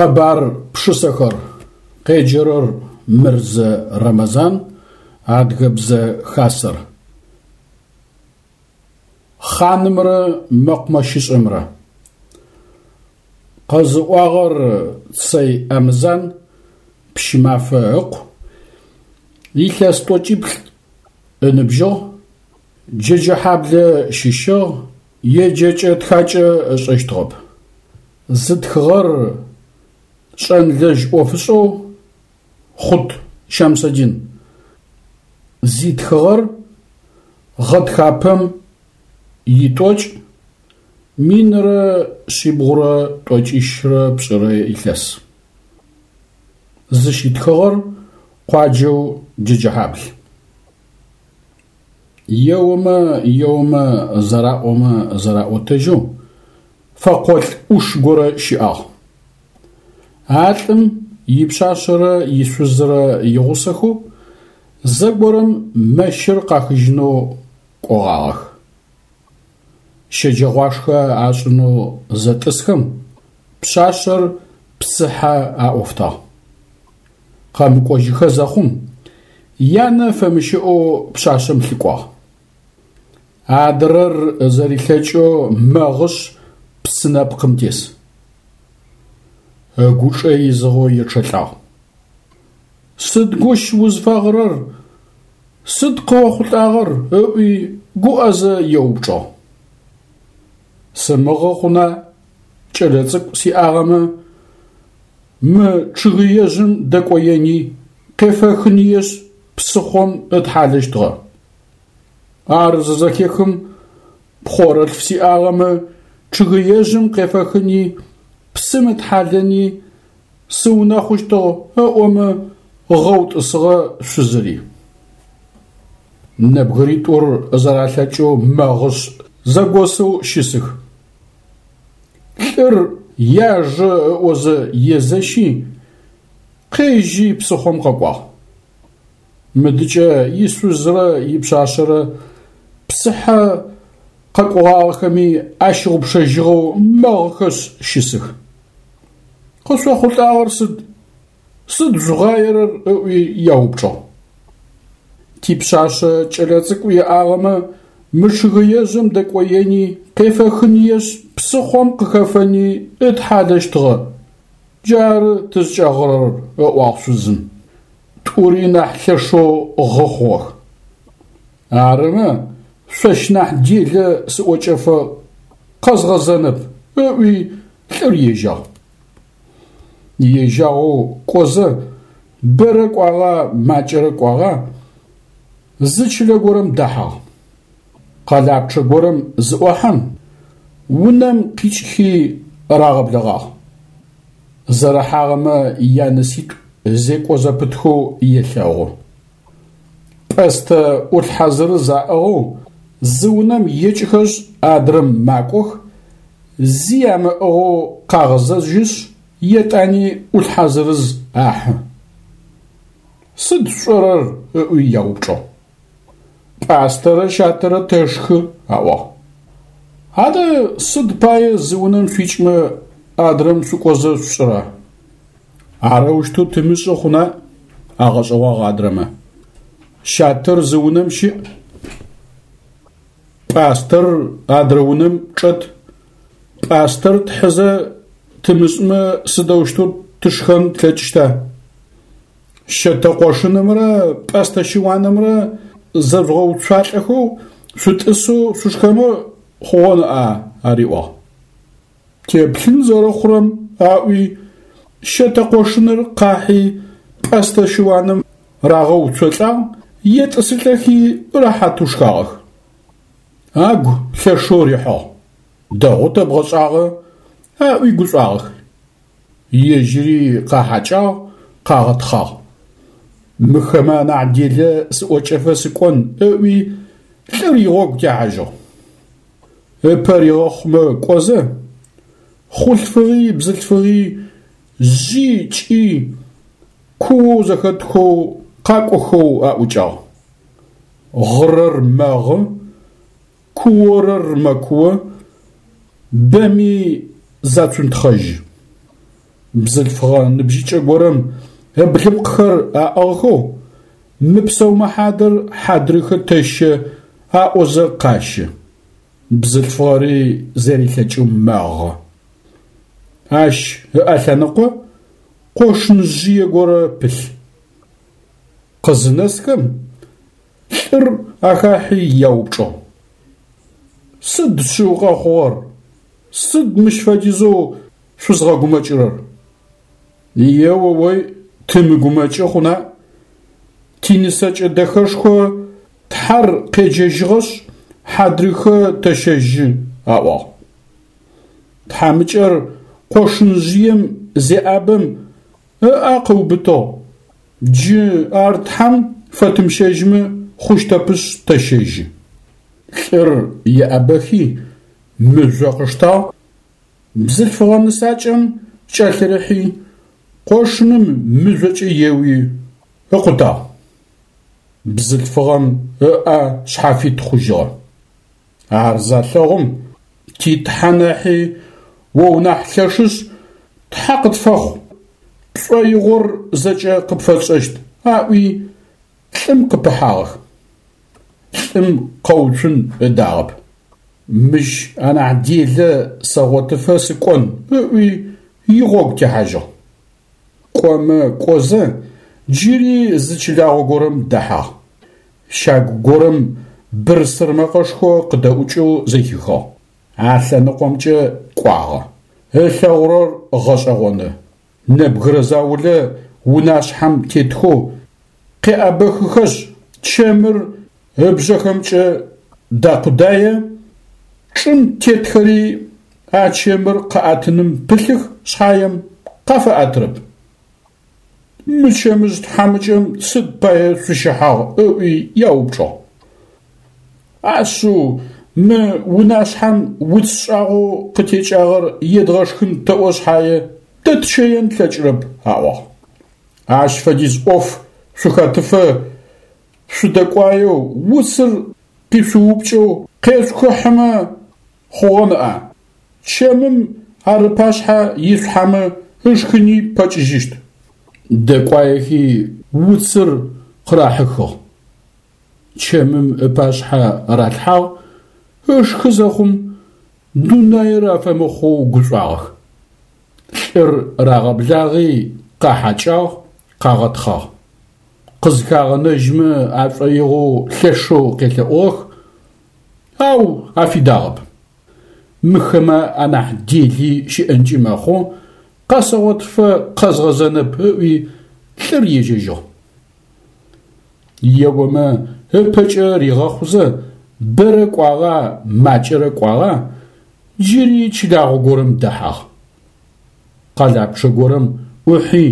Къэбар пшысэхэр. Къеджэрэр Мырзэ Рэмэзан, Адыгэбзэ Хасэр. Хъанымрэ мэкъумэщышӏэмрэ. Къэзыӏуагъэр Цэй Амзан, Пщымафэ ыкъу, илъэс тӏокӏиплӏ ыныбжьыгъ, Джэджэхьаблэ щыщыгъ, еджэкӏэ-тхакӏэ ышӏэщтыгъэп. Зытхыгъэр шӏэнлэжь ӏофышӏэу Хъут Щамсэдин. Зитхыгъэр гъэтхапэм итӏокӏ 1792 илъэс. Зыщитхыгъэр къуаджэу Джэджэхьабл. Еомэ, еомэ, зэраӏомэ зэраӏотэжьэу, фэкъолӏ ӏуш горэ щыӏагъ. А лӏым ипшъашъэрэ ишъузрэ игъусэхэу зэгорэм мэщыр къахыжьынэу кӏогъагъэх. Щэджэгъуашхэ ашӏынэу зэтӏысхэм, пшъашъэр псыхьэ аӏофтагъ. Къэмыкӏожьыхэ зэхъум, янэ фэмыщыӏэу пшъашъэм лъыкӏуагъ. Адрэр зэрилъэкӏэу мэгъышъ псы нэпкъым тес. Ыгучӏэ изыгъэу ечъэлӏагъ. Сыд гущ узфэгъырэр, сыд къыохъулӏагъэр? ыӏуи гуӏэзэ еупчӏыгъ. Сымыгъы хъуна, кӏэлэцӏыкӏу сиӏагъэмэ, мы чъыгыежъым дэкӏоени, къефэхыныешъ псыхъом ытхьалэщтыгъэ. Ар зызэхехым, пхъорэлъф сиӏагъэмэ, чъыгыежъым къефэхыни, псым ытхьалэни, сыунэхъущтыгъ ыӏомэ, гъэу тӏысыгъэ шъузыри. Нэбгыритӏур зэралъэкӏэу мэгъышъ зэгосэу щысых. Лӏыр яжэ ыӏозэ езэщи, къежьи псыхъом къэкӏуагъ. Мыдыкӏэ ишъузрэ ипшъашъэрэ псыхьэ къэкӏогъагъэхэми ащыгъупшэжьыгъэу мэгъыхэшъ щысых. Къышъохъулӏагъэр сыд? Сыд жъугъаерэр? ыӏуи яупчӏыгъ. Типшъашъэ кӏэлэцӏыкӏу иӏагъэмэ, мы чъыгыежъым дэкӏоени, къефэхыныешъ, псыхъом къыхэфэни ытхьалэщтыгъэ. Джары тызкӏэгъырэр, ыӏуагъ шъузым. Тӏури нахь лъэшэу гъы хъугъэх. Арымэ, шъощ нахь делэ сыӏокӏэфэ къэзгъэзэнэп, ыӏуи лӏыр ежьагъ. Ежьагъэу кӏозэ, бэрэ кӏуагъа, макӏэрэ кӏуагъа, зы чылэ горэм дэхьагъ. Къэлапчъэ горэм зыӏохьэм, унэм къикӏхи рагъэблэгъагъ. Зэрыхьагъэмэ яныситӏу зекӏо зэпытхэу елъэгъу. Пӏэстэ ӏулъхьэ зырыз аӏыгъэу зы унэм екӏыхэшъ адрэм макӏох, зи амыӏыгъэу къагъэзэжьышъ, етӏани ӏулъхьэ зырыз ахьы. Сыд шъушӏэрэр? ыӏуи яупчӏыгъ. Пӏастэрэ щатэрэ тэшхы, аӏуагъ. Адэ сыд пае зы унэм шъуикӏмэ адрэм шъукӏозэ шъушӏыра? Арэущтэу тымышӏы хъуна? Агъэшӏэгъуагъ адрэмэ. Щатэр зы унэм щыӏ, пӏастэр адрэ унэм чӏэт. Пӏастэр тхьызэ тымышӏымэ сыдэущтэу тышхэн тлъэкӏыщта? Щэтэ къошынымрэ пӏэстэ щыуанымрэ зэжъугъэуцуалӏэхэу шъутӏысэу шъушхэнэу хъугъэ ныӏа? Ариӏуагъ. Теплъын зэрэхъурэм, аӏуи, щэтэ къошыныр къахьи, пӏэстэ щыуаным рагъэуцолӏагъ, етӏысылӏэхи рэхьатэу шхагъэх. Агу лъэшэу рихьыгъ. Дэгъоу тэбгъэшӏагъэ, аӏуи гушӏуагъэх. Ежьыри къахьакӏагъ, къагъэтхъагъ. Мыхэмэ анахь делэ сыӏокӏэфэ сыкӏон, ыӏуи, лӏыр игъогу техьажьыгъ. Ыпэ ригъэхъумэ кӏозэ, хъулъфыгъи бзылъфыгъи жъи кӏи куоу зэхэтхэу къакӏохэу аӏукӏагъ. Гъырэр мэгъы, куорэр мэкуо, бэми зацунтхъэжьы. Бзылъфыгъэ ныбжьыкӏэ горэм ыблыпкъхэр аӏыгъхэу, мыпсэумэ хьадэр хьадрыхэ тэщэ аӏозэ къащэ. Бзылъфыгъэри зэрилъэкӏэу мэгъы. Ащ ыӏэлъэныкъо къошынжъые горэ пылъ. Къызынэсхэм, лӏыр ахахьи яупчӏыгъ: Сыд шъыу къэхъугъэр? Сыд мыщ фэдизэу шъузгъэгумэкӏырэр? Еоой, тымыгумэкӏы хъуна? Тинысэкӏэ дэхэшхо Тхьэр къеджэжьыгъэшъ, хьадрыхэ тэщэжьы, аӏуагъ. Тхьамыкӏэр къошынжъыем зеӏабэм ыӏэ къыубытыгъ, джы ар Тхьэм фэтымыщэжьмэ хъущтэпышъ тэщэжьы. Лӏыр еӏэбэхи, мыжъо къыштагъ, бзылъфыгъэ нысакӏэм кӏэлъырыхьи, къошыным мыжъокӏэ еуи, ыкъутагъ. Бзылъфыгъэм ыӏэ шъхьафит хъужьыгъэ. Ар залъэгъум, ти Тхьэ нахьи о унахь лъэшышъ, Тхьэ къытфэхъу, пшӏоигъор зэкӏэ къыпфэтшӏэщт, аӏуи, лӏым къыпыхьагъэх. Лӏым къэуцун ыдагъэп. Мыщ анахь делэ сэгъотыфэ сыкӏон, ыӏуи, игъогу техьажьыгъ. Кӏомэ кӏозэ, джыри зы чылагъо горэм дэхьагъ. Щагу горэм бырсыр мэкъэшхо къыдэӏукӏэу зэхихыгъ. А лъэныкъомкӏэ кӏуагъэ. Ылъэгъурэр гъэшӏэгъоны. Нэбгырэ заулэ унашъхьэм тетхэу къеӏэбэхыхэшъ, чэмыр ыбжъэхэмкӏэ дакъудае, чӏым тетхэри а чэмыр къаӏэтыным пылъых шъхьаем, къафэӏэтырэп. Мы чэмыжъ тхьамыкӏэм сыд пае шъущыхьагъ ыӏуи яупчӏыгъ. Ашъыу, мы унашъхьэм уц шӏагъоу къытекӏагъэр едгъэшхын тэӏо шъхьае, дэтщэен тлъэкӏырэп, аӏуагъ. Ащ фэдиз ӏоф шъухэтыфэ шъудэкӏуаеу уцыр къишъуупкӏэу къешъухыхьымэ хъугъэ ныӏа? Чэмым ар ыпашъхьэ ишъухьэмэ ышхыни пэкӏыжьыщт. Дэкӏуаехи уцыр къырахьыхыгъ. Чэмым ыпашъхьэ ралъхьагъ, ышхы зэхъум, дунаир афэмыхъоу гушӏуагъэх. Лӏыр рагъэблагъи къахьакӏагъ, къагъэтхъагъ. Къызхагъэнэжьмэ ашӏоигъоу лъэшэу къелъэӏугъэх, ау афидагъэп. Мыхэмэ анахь дели щыӏэнкӏи мэхъу, къэсэгъотыфэ къэзгъэзэнэп ыӏуи, лӏыр ежьэжьыгъ. Еомэ ыпэкӏэ ригъэхъузэ, бэрэ кӏуагъа, макӏэрэ кӏуагъа, джыри чылагъо горэм дэхьагъ. Къэлапчъэ горэм ӏухьи,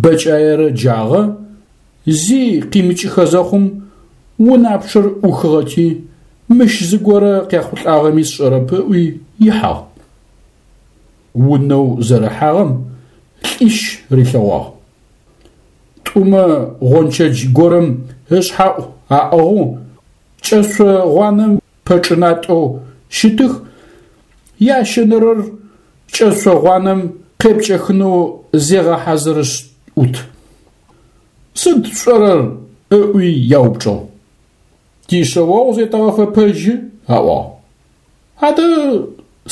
бэкӏаерэ джагъэ, зи къимыкӏыхэ зэхъум, унапчъэр ӏухыгъэти, мыщ зыгорэ къехъулӏагъэми сшӏэрэп ыӏуи ихьагъ. Унэу зэрыхьагъэм лӏищ рилъэгъуагъ. Тӏумэ гъончэдж горэм ышъхьаӏу аӏыгъэу, кӏэшъо гъуанэм пэчӏынатӏэу щытых, ящэнэрэр кӏэшъо гъуанэм къепкӏэхынэу зегъэхьазырышъ ӏут. Сыд шъушӏэрэр? ыӏуи яупчӏыгъ. Тишъэогъу зетэгъэфэпэжьы, аӏуагъ. Адэ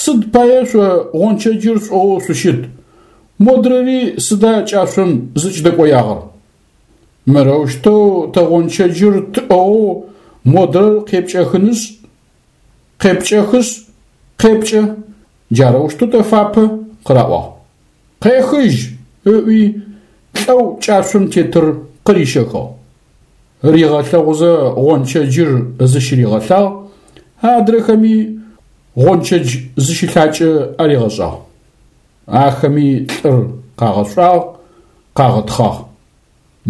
сыд пае шъо гъончэджыр шъуӏыгъэу шъущыт, модрэри сыда кӏашъом зыкӏыдэкӏоягъэр? Мырэущтэу тэ гъончэджыр тӏыгъэу модрэр къепкӏэхынышъ, къепкӏэхышъ, къепкӏэ, джарэущтэу тэфапэ, къыраӏуагъ. Къехыжь! ыӏуи, лӏэу кӏашъом тетыр къырищэхыгъ. Ригъэлъэгъузэ гъончэджыр зыщыригъэлъагъ, адрэхэми гъончэдж зыщылъакӏэ аригъэшӏагъ. Ахэми лӏыр къагъэшӏуагъ, къагъэтхъагъ.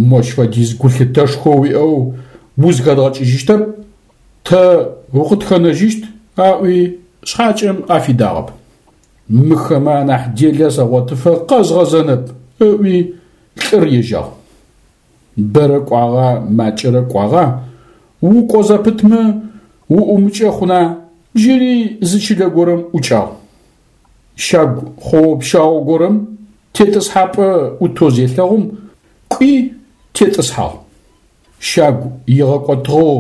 Мощ фэдиз гулъытэшхо уиӏэу узхэдгъэкӏыжьыщтэп, тэ укъытхэнэжьыщт, аӏуи шъхьакӏэм афидагъэп. Мыхэмэ анахь делэ сэгъотыфэ къэзгъэзэнэп, ыӏуи лӏыр ежьагъ. Бэрэ кӏуагъа, макӏэрэ кӏуагъа, укӏо зэпытмэ уӏумыкӏэ хъуна, джыри зы чылэ горэм ӏукӏагъ. Щагу хъоо-пщау горэм тетӏысхьапӏэ ӏутэу зелъэгъум, кӏуи тетӏысхьагъ. Щагу игъэкӏотыгъэу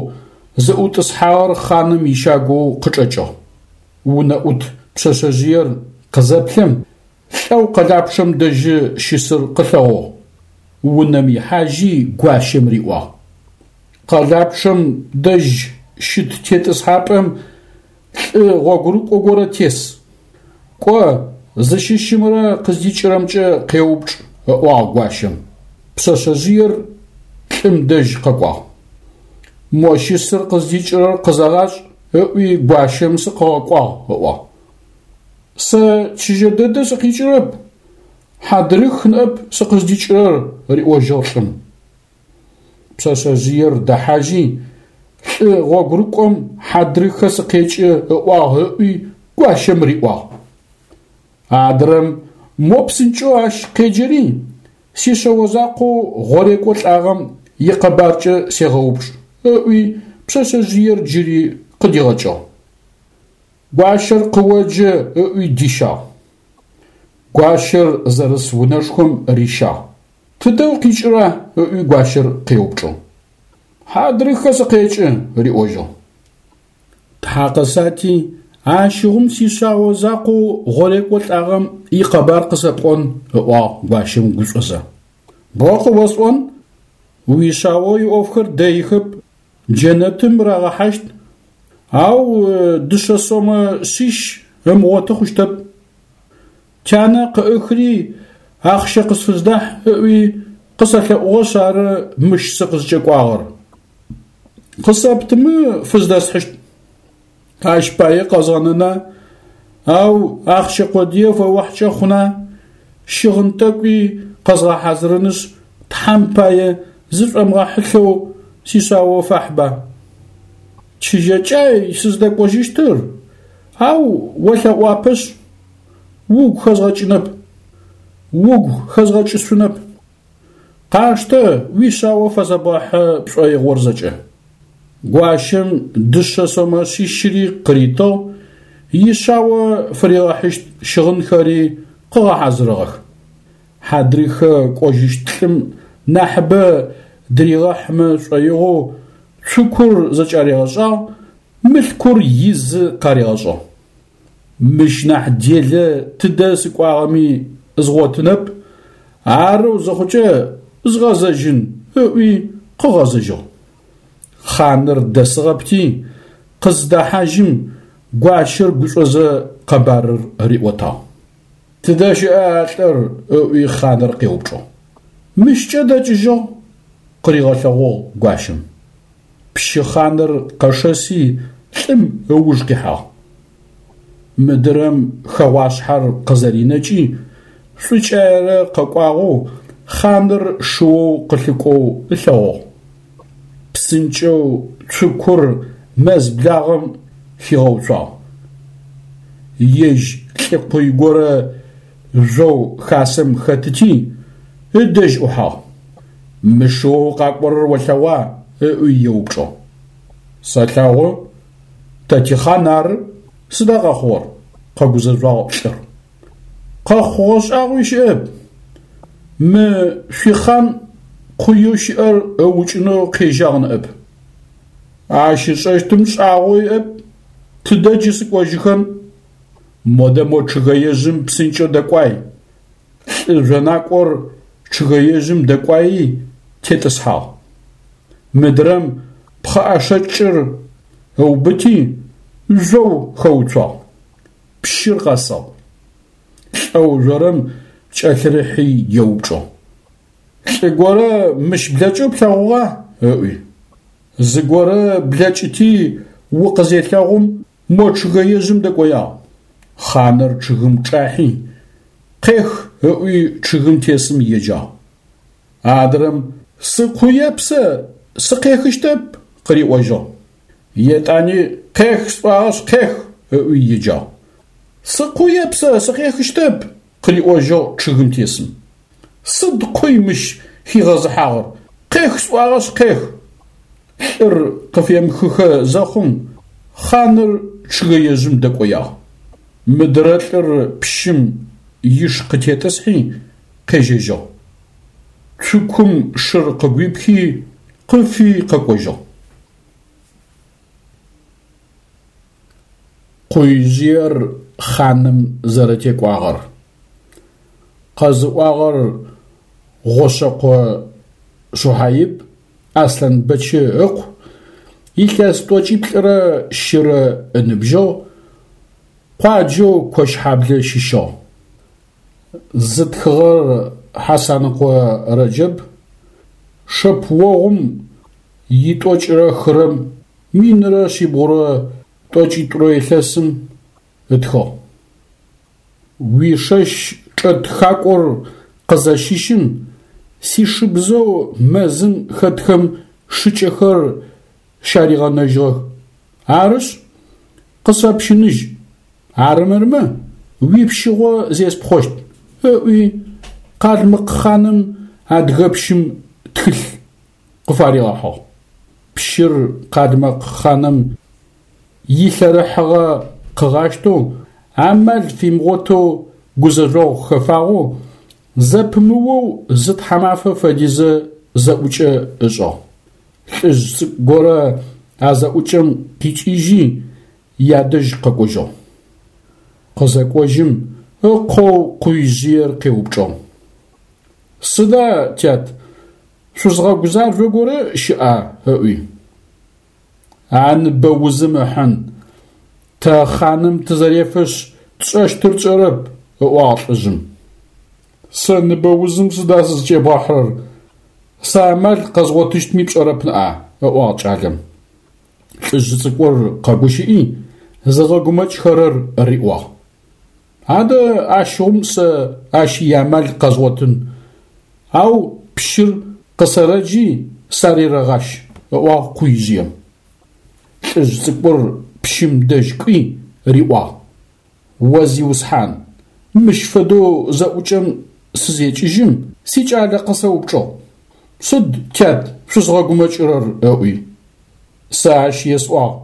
зыӏутӏысхьагъэр хъаным ищагоу къычӏэкӏыгъ. Унэӏут пшъэшъэжъыер къызэплъэм, лӏэу къэлапчъэм дэжьы щысыр къылъэгъугъ. Унэм ихьажьи гуащэм риӏуагъ: Къэлапчъэм дэжь щыт тетӏысхьапӏэм лӏы гъогурыкӏо горэ тес. Кӏо, зыщыщымрэ къыздикӏырэмкӏэ къеупчӏ, ыӏуагъ гуащэм. Пшъэшъэжъыер лӏым дэжь къэкӏуагъ. Мо щысыр къыздикӏырэр къызэгъашӏ, ыӏуи гуащэм сыкъыгъэкӏуагъ, ыӏуагъ. Сэ чыжьэ дэдэ сыкъикӏырэп, Хьадрых ныӏэп сыкъыздикӏырэр, риӏожьыгъ лӏым. Пшъэшъэжъыер дэхьажьи, лӏы гъогурыкӏом хьадрыхэ сыкъекӏы ыӏуагъ ыӏуи гуащэм риӏуагъ. Адрэм мо псынкӏэу ащ къеджэри, сишъэо закъоу гъорекӏо лӏагъэм икъэбаркӏэ сегъэупчӏ, ыӏуи пшъэшъэжъыер джыри къыдигъэкӏыгъ. Гуащэр къыоджэ ыӏуи дищагъ. Гуащэр зэрыс унэшхом рищагъ. Тыдэ укъикӏыра? ыӏуи гуащэр къеупчӏыгъ. Хьадрыхэ сыкъекӏы, риӏожьыгъ. Тхьа къысати, ащыгъум сишъао закъоу гъорекӏо лӏагъэм икъэбар къысэпӏон, ыӏуагъ гуащэм гушӏозэ. Бо къыосӏон, уишъао иӏофхэр дэихэп, джэнэтым рагъэхьащт, ау дышъэ сомэ шъищ ымыгъоты хъущтэп. Тянэ къыӏыхри ахъщэ къысфыздахь ыӏуи къысэлъэӏугъэшъ ары мыщ сыкъызкӏэкӏуагъэр. Къысэптымэ фыздэсхьыщт. Ащ пае къэзгъэнэна, ау ахъщэ къодые фэохькӏэ хъуна, щыгъын тӏэкӏуи къэзгъэхьазырынышъ, Тхьэм пае зышӏомыгъэхьылъэу сишъао фахьба. Чыжьэкӏай сыздэкӏожьыщтыр, ау олъэӏуапэшъ, угу хэзгъэкӏынэп, угу хэзгъэкӏышъунэп. Къаштэ уишъао фэзэбгъэхьы пшӏоигъор зэкӏэ. Гуащэм дышъэ сомэ шъищыри къыритыгъ, ишъао фыригъэхьыщт щыгъынхэри къыгъэхьазырыгъэх. Хьадрыхэ кӏожьыщт лӏым нахьыбэ дыригъэхьымэ шӏоигъоу цукур зэкӏаригъэшӏагъ, мылъкур изы къаригъэшӏыгъ. Мыщ нахь делэ тыдэ сыкӏуагъэми згъотынэп, арэу зыхъукӏэ згъэзэжьын, ыӏуи къыгъэзэжьыгъ. Хъаныр дэсыгъэпти, къыздэхьажьым, гуащэр гушӏозэ къэбарыр риӏотагъ. Тыдэ щыӏа а лӏыр? ыӏуи хъаныр къеупчӏыгъ. Мыщкӏэ дэкӏыжьыгъ, къыригъэлъэгъугъ гуащэм. Пщы хъаныр къэшэси лӏым ыуж къихьагъ. Мыдырэм хэгъуашъхьэр къызэринэкӏи, шӏукӏаерэ къэкӏуагъэу хъаныр шыоу къылъыкӏоу ылъэгъугъ. Псынкӏэу цукур мэз благъэм хигъэуцуагъ. Ежь лӏыкъуй горэ жъоу хасэм хэтыти, ыдэжь ӏухьагъ. Мы шыоу къакӏорэр олъэгъуа? ыӏуи еупчӏыгъ. Сэлъэгъу, тэ тихъан ары, сыда къэхъугъэр? къэгузэжъуагъ лӏыр. Къэхъугъэ шӏагъуи щыӏэп. Мы шъуихъан къуеу щыӏэр ыукӏынэу къежьагъ ныӏэп. Ащ ышӏэщтым шӏагъо иӏэп, тыдэ джы сыкӏожьыхэн? Модэ мо чъыгэежъым псынкӏэу дэкӏуай. Лӏы жъонакӏор чъыгэежъым дэкӏуаи тетӏысхьагъ. Мыдрэм пхъэӏэшэкӏыр ыубыти, жъоу хэуцуагъ. Пщыр къэсыгъ. Лӏэу жъорэм кӏэлъырыхьи еупчӏыгъ. Лӏы горэ мыщ блэкӏэу плъэгъугъа? ыӏуи. Зыгорэ блэкӏыти укъызелъэгъум мо чъыгэежъым дэкӏоягъ. Хъаныр чъыгым чӏахьи, къех ыӏуи чъыгым тесым еджагъ. Адрэм сыкъуеп сэ, сыкъехыщтэп къыриӏожьыгъ. Етӏани къех сӏуагъэшъ къех ыӏуи еджагъ. Сыкъуеп сэ, сыкъехыщтэп къыриӏожьыгъ чъыгым тесым. Сыд къуй мыщ хигъэзыхьагъэр, къех сӏуагъэшъ къех! Лӏыр къыфемыхыхэ зэхъум, хъаныр чъыгэежъым дэкӏоягъ. Мыдрэ лӏыр пщым иш къытетӏысхьи, къежьэжьыгъ. Цукум шыр къыгуипхи, къыфи къэкӏожьыгъ. Къуижъыер хъаным зэрэтекӏуагъэр. Къэзыӏуагъэр Гъошъэкъо Щухьаиб Аслъанбэчы ыкъу, илъэс тӏокӏиплӏырэ щырэ ыныбжьыгъ, къуаджэу Кощхьаблэ щыщыгъ. Зытхыгъэр Хьасаныкъо Рэджэб, шэпыогъум итӏокӏырэ хырэм минрэ шъибгъурэ тӏокӏитӏурэ илъэсым ытхыгъ. Уишэщ чӏэт хакӏор къызэщыщым, сишыбзэу мэзым хэтхэм шыкӏэхэр щаригъэнэжьыгъэх. Арышъ, къысфэпщыныжь, арымырмэ, уипщыгъо зеспхъощт, ыӏуи, къалмыкъ хъаным адыгэпщым тхылъ къыфаригъэхьыгъ. Пщыр къалмыкъ хъаным илъэрыхьыгъэ къыгъащтэу, амал фимыгъотэу гузэжъогъу хэфагъэу, зэпымыоу зы тхьамафэ фэдизэ зэӏукӏэ ышӏыгъ. Лӏыжъ цӏыкӏу горэ а зэӏукӏэм къикӏыжьи, ядэжь къэкӏожьыгъ. Къызэкӏожьым, ыкъоу Къуижъыер къеупчӏыгъ. Сыда, тят, шъузгъэгузажъо горэ щыӏа? ыӏуи. А ныбэ узым ыхьын, тэ хъаным тызэрефэшъ, тшӏэщтыр тшӏэрэп, ыӏуагъ лӏыжъым. Сэ ныбэ узым сыда сызкӏебгъэхьырэр, сэ амал къэзгъотыщтми пшӏэрэп ныӏа, ыӏуагъ кӏалэм. Лӏыжъ цӏыкӏур къэгущыӏи, зыгъэгумэкӏхэрэр риӏуагъ. Адэ ащыгъум сэ ащ иамал къэзгъотын, ау пщыр къысэрэджи сарерэгъащ, ыӏуагъ Къуижъыем. Лӏыжъ цӏыкӏур пщым дэжь кӏуи риӏуагъ, О зиусхьан, мыщ фэдэу зэӏукӏэм сызекӏыжьым, сикӏалэ къысэупчӏыгъ, Сыд, тят, шъузгъэгумэкӏырэр? ыӏуи. Сэ ащ есӏуагъ,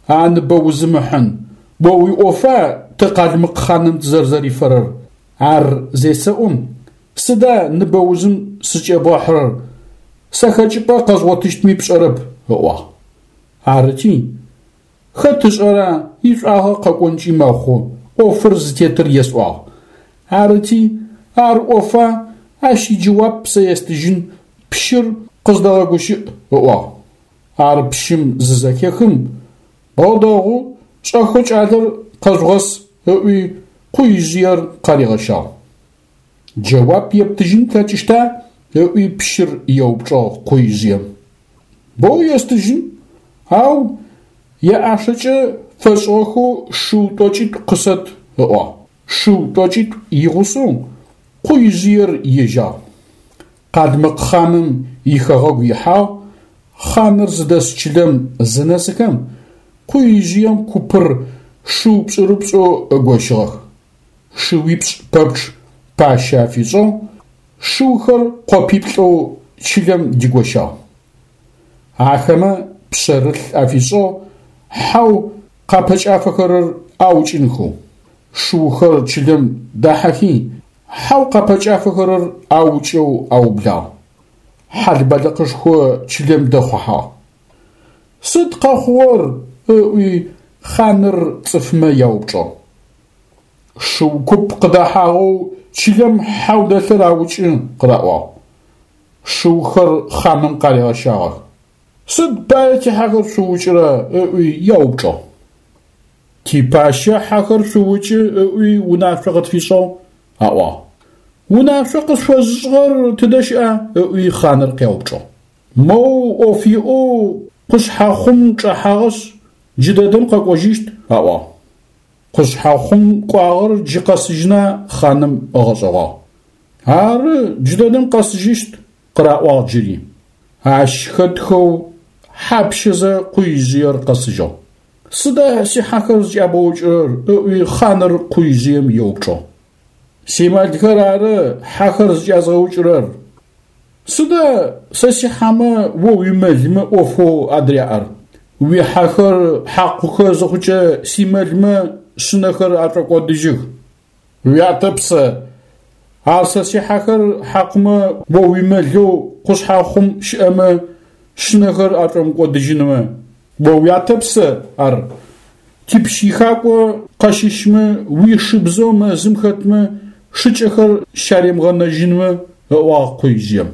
А ныбэ узым ыхьын, о уиӏофа тэ къалмыкъ хъаным тызэрзэрифэрэр? Ар зесэӏом, сыда ныбэ узым сыкӏебгъэхьырэр, сэ хэкӏыпӏэ къэзгъотыщтми пшӏэрэп, ыӏуагъ. Арыти, хэт ышӏэра, ишӏуагъэ къэкӏонкӏи мэхъу, ӏофыр зытетыр есӏуагъ. Арыти, ар ӏофа, ащ иджэуап сэ естыжьын, пщыр къыздэгъэгущыӏ, ыӏуагъ. Ар пщым зызэхехым, О дэгъу, шӏэхэу кӏалэр къэжъугъэс, ыӏуи, Къуижъыер къаригъэщагъ. Джэуап ептыжьын плъэкӏыщта? ыӏуи пщыр еупчӏыгъ Къуижъыем. Боу естыжьын, ау яӏашэкӏэ фэшӏыгъэхэу шыу тӏокӏитӏу къысэт, ыӏуагъ. Шыу тӏокӏитӏу игъусэу Къуижъыер ежьагъ. Къалмыкъ хъаным ихэгъэгу ихьагъ, хъаныр зыдэс чылэм зынэсыхэм, Къуижъыем купыр шыу пшӏырыпшӏэу ыгощыгъэх. Шыуипшӏ пэпчъ пащэ афишӏыгъ, шыухэр къопиплӏэу чылэм дигощагъ. Ахэмэ пшъэрылъ афишӏыгъ хьэу къапэкӏафэхэрэр аукӏынхэу. Шыухэр чылэм дахьэхи, Хьэу къапэкӏафэхэрэр аукӏэу аублагъ. Хьал-балыкъышхо чылэм дэхъухьагъ. Сыд къэхъугъэр? ыӏуи хъаныр цӏыфмэ яупчӏыгъ. Шыу куп къыдэхьагъэу чылэм хьэу дэлъыр аукӏы, къыраӏуагъ. Шыухэр хъаным къаригъэщагъэх. Сыд пае тихьэхэр шъуукӏырэ? ыӏуи яупчӏыгъ. Типащэ хьэхэр шъуукӏы ыӏуи унашъо къытфишӏыгъ, аӏуагъ. Унашъо къышъуфэзышӏыгъэр тыдэ щыӏа? ыӏуи хъаныр къяупчӏыгъ. Моу ӏоф иӏэу къушъхьэхъум чӏэхьагъэшъ, джыдэдэм къэкӏожьыщт, аӏуагъ. Къушъхьэхъум кӏуагъэр джы къэсыжьына? хъаным ыгъэшӏэгъуагъ. Ары, джыдэдэм къэсыжьыщт, къыраӏуагъ джыри. Ащ хэтхэу хьапщэзэ Къуижъыер къэсыжьыгъ. Сыда сихьэхэр зыкӏябгъэукӏырэр? ыӏуи хъаныр Къуижъыем еупчӏыгъ. Симэлхэр ары хьэхэр зыкӏязгъэукӏырэр. Сыда сэ сихьэмэ о уимэлмэ ӏофэу адыряӏэр? Уихьэхэр хьакъухэ зыхъукӏэ симэлмэ шъынэхэр ашӏокӏодыжьых. Уятэп сэ. Ар сэ сихьэхэр хьакъумэ о уимэлэу къушъхьэхъум щыӏэмэ шъынэхэр ашӏомыкӏодыжьынмэ, о уятэп сэ ар. Типщ ихакӏо къэщыщмэ, уишыбзэу мэзым хэтмэ шыкӏэхэр щаримыгъэнэжьынмэ, ыӏуагъ къуижъыем.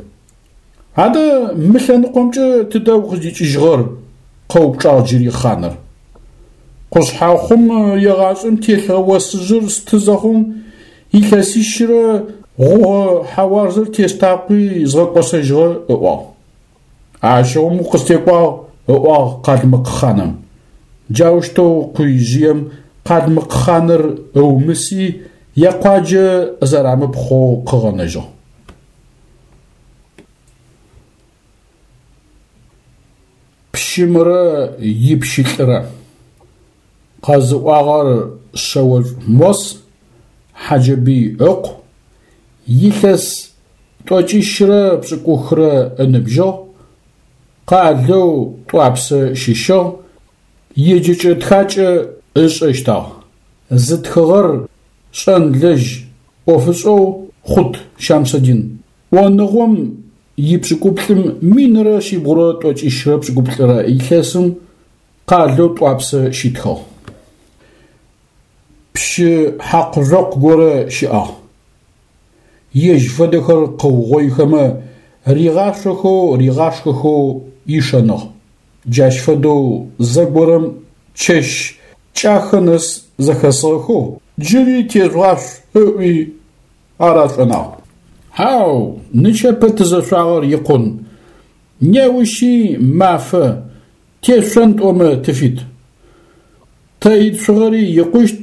Адэ мы лъэныкъомкӏэ тыдэ укъыздикӏыжьыгъэр? къэупчӏагъ джыри хъаныр. Къушъхьэхъум егъашӏэм телъыгъэ осыжъыр сты зэхъум, илъэсищрэ гъугъэ хьэуарзэр тестакъуи згъэкӏосэжьыгъэ, ыӏуагъ. Ащыгъум укъыстекӏуагъ, ыӏуагъ къалмыкъ хъаным. Джаущтэу къуижъыем къалмыкъ хъаныр ыумыси, якъуаджэ зэрамыпхъоу къыгъэнэжьыгъ. Пщымрэ ипщылӏрэ. Къэзыӏуагъэр Шъэошӏу Мос, Хьаджэбый ыкъу, илъэс тӏокӏищрэ пшӏыкӏухрэ ыныбжьыгъ, къалэу Тӏуапсэ щыщыгъ, еджэкӏэ-тхакӏэ ышӏэщтыгъ. Зытхыгъэр шӏэнлэжь ӏофышӏэу Хъут Щамсэдин. ӏоныгъом ипшӏыкӏуплӏым 1179 рэ илъэсым къалэу Тӏуапсэ щитхыгъ. Пщы хьакъу-жъокъу горэ щыӏагъ. Ежь фэдэхэр къыугъоихэмэ, ригъашъохэу ригъашхэхэу ишэныгъ. Джащ фэдэу зэгорэм чэщ кӏахэ нэс зэхэсыгъэхэу, джыри тежъугъашъу ыӏуи ар ашӏонагъ. Хьау, нычэпэ тызэшъуагъэр икъун, неущи мафэ, тешъон тӏомэ тыфит. Тэ итшъугъэри икъущт,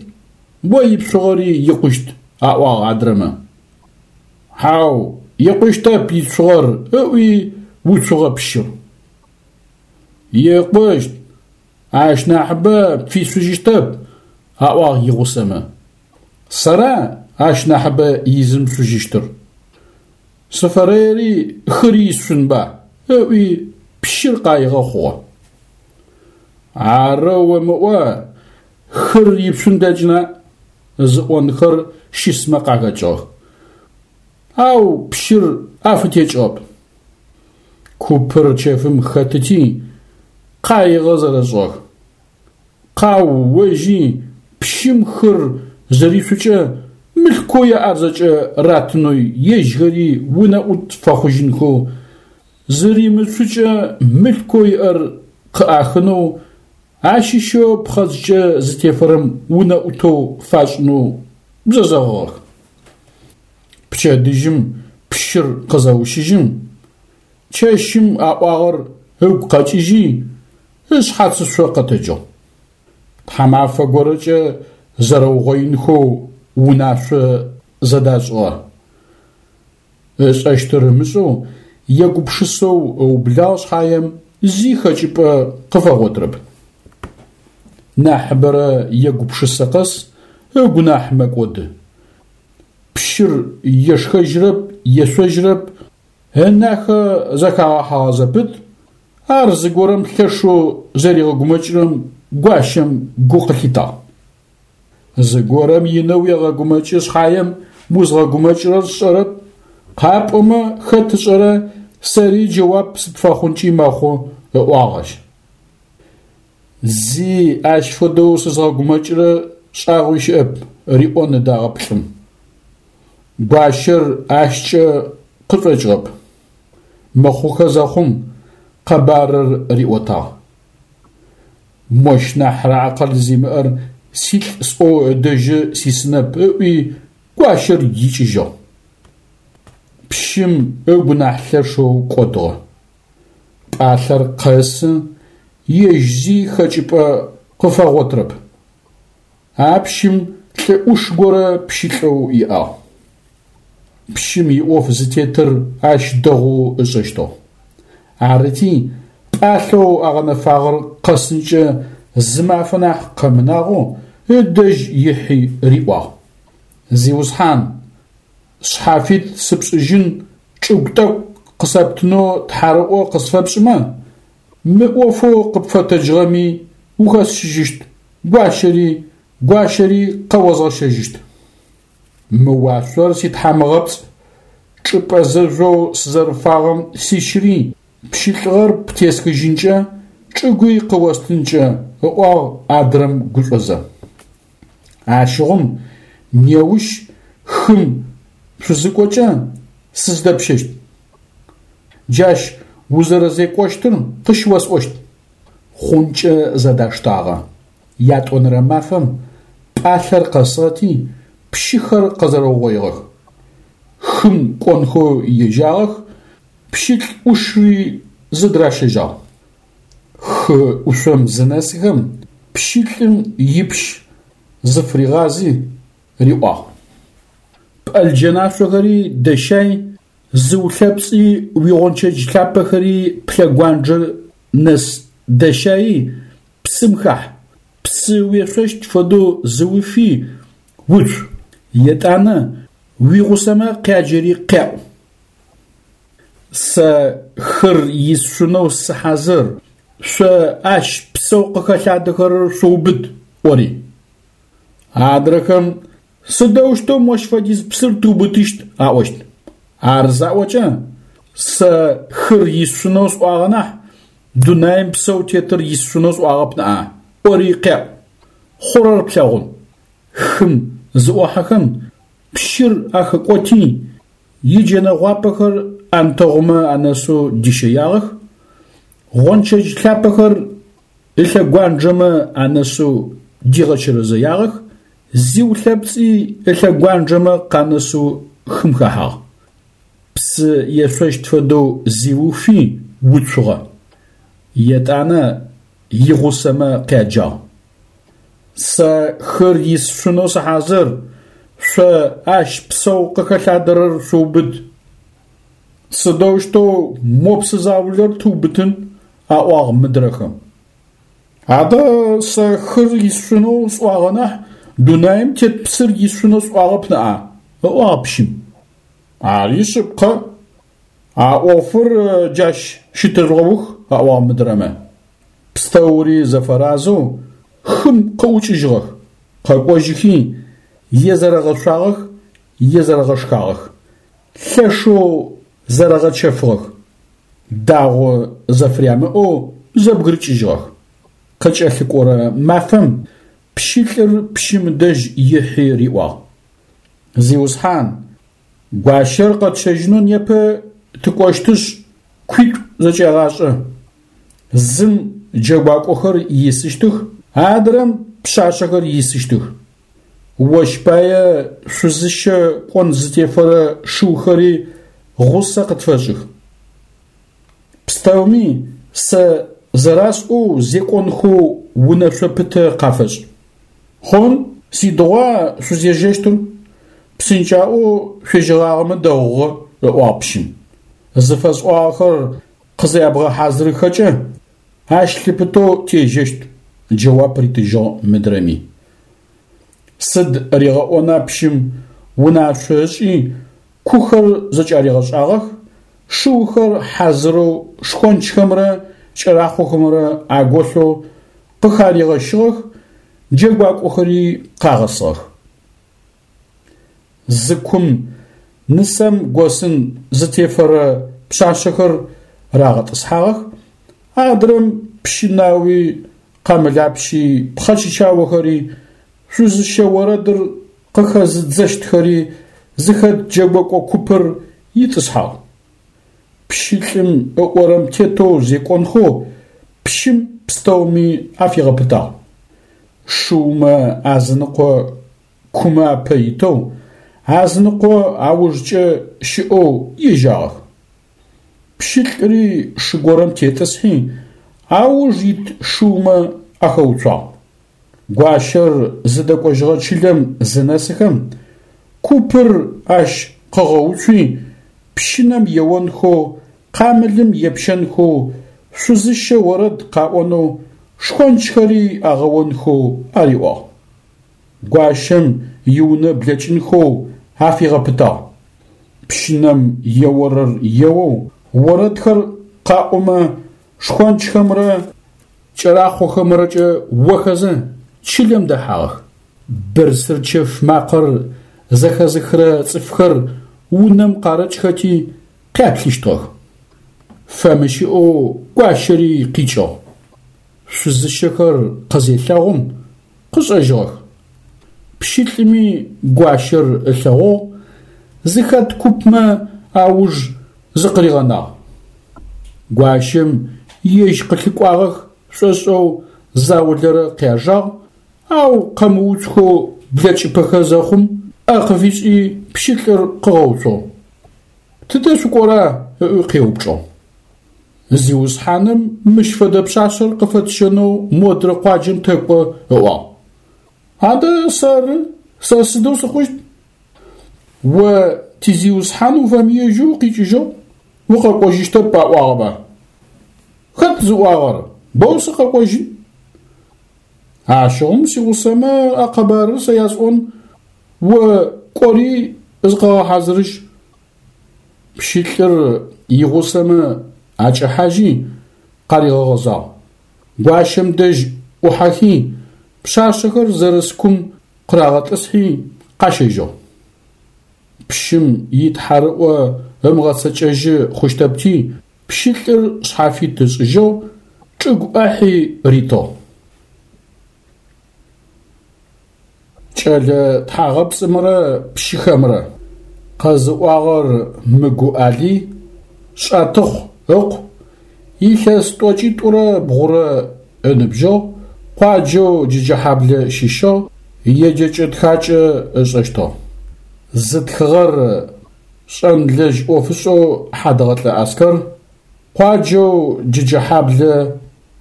о ипшъугъэри икъущт, аӏуагъ адрэмэ. Хьау, икъущтэп итшъугъэр, ыӏуи уцугъэ пщыр. Икъущт, ащ нахьыбэ пфишъужьыщтэп, аӏуагъ игъусэмэ. Сэра ащ нахьыбэ изымышъужьыщтыр? Сыфэрэери хыри исшъунба? ыӏуи пщыр къаигъэ хъугъэ. Арэу омыӏо, хыр ипшъун плъэкӏына? зыӏонхэр щысмэ къахэкӏыгъэх. Ау пщыр афытекӏыгъэп. Купыр чэфым хэтыти, къаигъэ зэрэшӏыгъэх. Къау-ожьи, пщым хыр зэришъукӏэ мылъкоу яӏэр зэкӏэ ратынэу ежьхэри унэӏут фэхъужьынхэу, зыримышъукӏэ мылъкоу иӏэр къыӏахынэу, ащыщэу пхъэдзкӏэ зытефэрэм унэӏутэу фашӏынэу зэзэгъыгъэх. Пчэдыжьым пщыр къызэущыжьым, чэщым аӏуагъэр ыгу къэкӏыжьи, ышъхьацышъо къэтэджыгъ. Тхьамафэ горэкӏэ зэрэугъоинхэу унашъо зэдашӏыгъэ. Ышӏэщтыр ымышӏэу, егупшысэу ыублагъ шъхьаем, зи хэкӏыпӏэ къыфэгъотырэп. Нахьыбэрэ егупшысэ къэс ыгу нахь мэкӏоды. Пщыр ешхэжьырэп, ешъожьырэп, ынахэ зэхагъэхьэгъэ зэпыт, ар зыгорэм лъэшэу зэригъэгумэкӏырэм гуащэм гу къылъитагъ. Зыгорэм инэу уегъэгумэкӏы шъхьаем узгъэгумэкӏырэр сшӏэрэп, къапӏомэ хэт ышӏэрэ сэри джэуап сыпфэхъункӏи мэхъу, ыӏуагъ ащ. Зи ащ фэдэу сызгъэгумэкӏырэ шӏагъуи щыӏэп, риӏон ыдагъэп лӏым. Гуащэр ащкӏэ къышӏокӏыгъэп. Мыхъухэ зэхъум къэбарыр риӏотагъ. Мощ нахьрэ акъыл зимыӏэр силӏ сӏоу ыдэжьы сисынэп ыӏуи гуащэр икӏыжьыгъ. Пщым ыгу нахь лъэшэу кӏодыгъэ. Пӏалъэр къэсы, ежь зи хэкӏыпӏэ къыфэгъотырэп. А пщым лӏы ӏуш горэ пщылӏэу иӏагъ. Пщым иӏоф зытетыр ащ дэгъоу ышӏэщтыгъ. Арыти, пӏалъэу агъэнэфагъэр къэсынкӏэ зы мафэ нахь къэмынагъэу ыдэжь ихьи риӏуагъ: Зиусхьан, шъхьафит сыпшӏыжьын чӏыгу тӏэкӏу къысэптынэу тхьарыӏо къысфэпшӏымэ, мы ӏофэу къыпфэтэджыгъэми ухэсщыжьыщт, гуащэри, гуащэри къэозгъэщэжьыщт. Мы уашъор ситхьамыгъэпцӏ, чӏыпӏэ зэжъоу сызэрыфагъэм сищыри, пщылӏыгъэр птесхыжьынкӏэ, чӏыгуи къыостынкӏэ, ыӏуагъ адрэм гушӏозэ. Ащыгъум неущ хым шъузыкӏокӏэ сыздэпщэщт. Джащ узэрэзекӏощтыр къыщыосӏощт. Хъункӏэ зэдаштагъэ. Ятӏонэрэ мафэм пӏалъэр къэсыгъэти, пщыхэр къэзэрэугъоигъэх. Хым кӏонхэу ежьагъэх, пщылӏ ӏушри зыдыращэжьагъ. Хы ӏушъом зынэсыхэм, пщылӏым ипщ зыфыригъази, риӏуагъ. Пӏэлджэнашъохэри дэщай, зыулъэпцӏи уигъончэдж лъапэхэри плъэгуанджэ нэс дэщаи, псым хахь, псы уешъощт фэдэу зыуфи, уцу, етӏанэ уигъусэмэ къяджэри къяӏу. Сэ хыр исшъунэу сыхьазыр, шъо ащ псэу къыхэлъадэхэрэр шъуубыт, ӏори. Адрэхэм сыдэущтэу мощ фэдиз псыр тыубытыщт аӏощт. Ар заӏокӏэ, сэ хыр исшъунэу сӏуагъэ нахь, дунаим псэу тетыр исшъунэу сӏуагъэп ныӏа, ӏори къяӏу. Хъурэр плъэгъун. Хым зыӏохьэхэм, пщыр ахэкӏоти, иджэнэ гъуапэхэр ӏэнтэгъумэ анэсэу дищэягъэх, гъончэдж лъапэхэр ылъэгуанджэмэ анэсэу дигъэчэрэзэягъэх, зиулъэпцӏи ылъэгуанджэмэ къанэсэу хым хэхьагъ. Псы ешъощт фэдэу зиуфи уцугъэ. Етӏанэ игъусэмэ къяджагъ. Сэ хыр исшъунэу сыхьазыр, шъо ащ псэу къыхэлъадэрэр шъуубыт. Сыдэущтэу мо псы заулэр тыубытын? аӏуагъ мыдрэхэм. Адэ сэ хыр исшъунэу сӏуагъэ нахь, дунаим тет псыр исшъунэу сӏуагъэп ныӏа? ыӏуагъ пщым. Ари шъыпкъэ. А ӏофыр джащ щытэжъугъэух, аӏуагъ мыдрэмэ. Пстэури зэфэразэу хым къыӏукӏыжьыгъэх, къэкӏожьыхи, езэрэгъэшъуагъэх, езэрэгъэшхагъэх, лъэшэу зэрэгъэчэфыгъэх, дагъо зэфырямыӏэу зэбгырыкӏыжьыгъэх. Къыкӏэлъыкӏорэ мафэм пщылӏыр пщым дэжь ихьи риӏуагъ: Зиусхьан, гуащэр къэтщэжьынэу непэ тыкӏощтышъ, куитӏу зэкӏегъашӏэ. Зым джэгуакӏохэр исыщтых, адрэм пшъашъэхэр исыщтых. Ощ пае шъузыщэ кӏон зытефэрэ шыухэри гъусэ къытфэшӏых. Пстэуми сэ зэрасӏоу зекӏонхэу унэшъо пытэ къафэшӏ. Хъун, сидыгъуа шъузежьэщтыр? Псынкӏаӏоу шъуежьэгъагъэмэ дэгъугъэ, ыӏуагъ пщым. Зыфэсӏуагъэхэр къызябгъэхьазырыхэкӏэ, ащ лъыпытэу тежьэщт, джэуап ритыжьыгъ мыдрэми. Сыд ригъэӏона пщым унашъо ышӏи, кухэр зэкӏаригъэшӏагъэх, шыухэр хьазырэу шхончхэмрэ кӏэрахъохэмрэ аголъэу къыхаригъэщыгъэх, джэгуакӏохэри къагъэсыгъэх. Зы кум нысэм госын зытефэрэ пшъашъэхэр рагъэтӏысхьагъэх, адрэм пщынауи, къамылапщи, пхъэчычаохэри, шъузыщэ орэдыр къыхэзыдзэщтхэри зыхэт джэгокӏо купыр итӏысхьагъ. Пщылӏым ыӏорэм тетэу зекӏонхэу пщым пстэуми афигъэпытагъ. Шыумэ азыныкъо кумэ апэ итэу, азыныкъо аужкӏэ щыӏэу ежьагъэх. Пщылӏри шы горэм тетӏысхьи, ауж ит шыумэ ахэуцуагъ. Гуащэр зыдэкӏожьыгъэ чылэм зынэсыхэм, купыр ащ къыгъэуцуи, пщынэм еонхэу, къамылым епщэнхэу, шъузыщэ орэд къаӏонэу, шхончхэри агъэонхэу ариӏуагъ. Гуащэм иунэ блэкӏынхэу афигъэпытагъ. Пщынэм еорэр еоу, орэдхэр къаӏомэ, шхончхэмрэ кӏэрахъохэмрэкӏэ охэзэ, чылэм дэхьагъэх. Бырсыр чэф макъэр зэхэзыхырэ цӏыфхэр унэм къарыкӏхэти къяплъыщтыгъэх. Фэмыщыӏэу гуащэри къикӏыгъ. Шъузыщэхэр къызелъэгъум, къышӏэжьыгъэх. Пщылӏыми гуащэр ылъэгъугъ, зыхэт купмэ ауж зыкъыригъэнагъ. Гуащэм ежь къылъыкӏуагъэх шӏошӏэу заулэрэ къяжагъ, ау къэмыуцухэу блэкӏыпэхэ зэхъум, ӏэ къыфишӏи пщылӏыр къыгъэуцугъ. Тыдэ шъукӏора? ыӏуи къеупчӏыгъ. Зиусхьаным мыщ фэдэ пшъашъэр къыфэтщэнэу модрэ къуаджэм тэкӏо, ыӏуагъ. Адэ сэры, сэ сыдэу сыхъущт? О тизиусхьан уфэмыежьэу укъикӏыжьыгъ, укъэкӏожьыщтэп аӏуагъэба? Хэт зыӏуагъэр, боу сыкъэкӏожьын? Ащыгъум сигъусэмэ а къэбарыр сэ ясӏон, о кӏори зыкъэгъэхьазырыжь. Пщылӏыр игъусэмэ акӏэхьажьи, къаригъэгъэзагъ. Гуащэм дэжь ӏухьэхи, пшъашъэхэр зэрыс кум къырагъэтӏысхьи, къащэжьыгъ. Пщым итхьарыӏо ымыгъэцэкӏэжьы хъущтэпти, пщылӏыр шъхьафит ышӏыжьыгъ, чӏыгу ӏахьи ритыгъ. Кӏэлэ тхьагъэпцӏымрэ пщыхэмрэ. Къэзыӏуагъэр Мыгу Алый, Шӏатыхъу ыкъу, илъэс тӏокӏитӏурэ бгъурэ ыныбжьыгъ, къуаджэу Джэджэхьаблэ щыщыгъ, еджэкӏэ-тхакӏэ ышӏэщтыгъ. Зытхыгъэр шӏэнлэжь ӏофышӏэу Хьадэгъэлӏэ Аскэр, къуаджэу Джэджэхьаблэ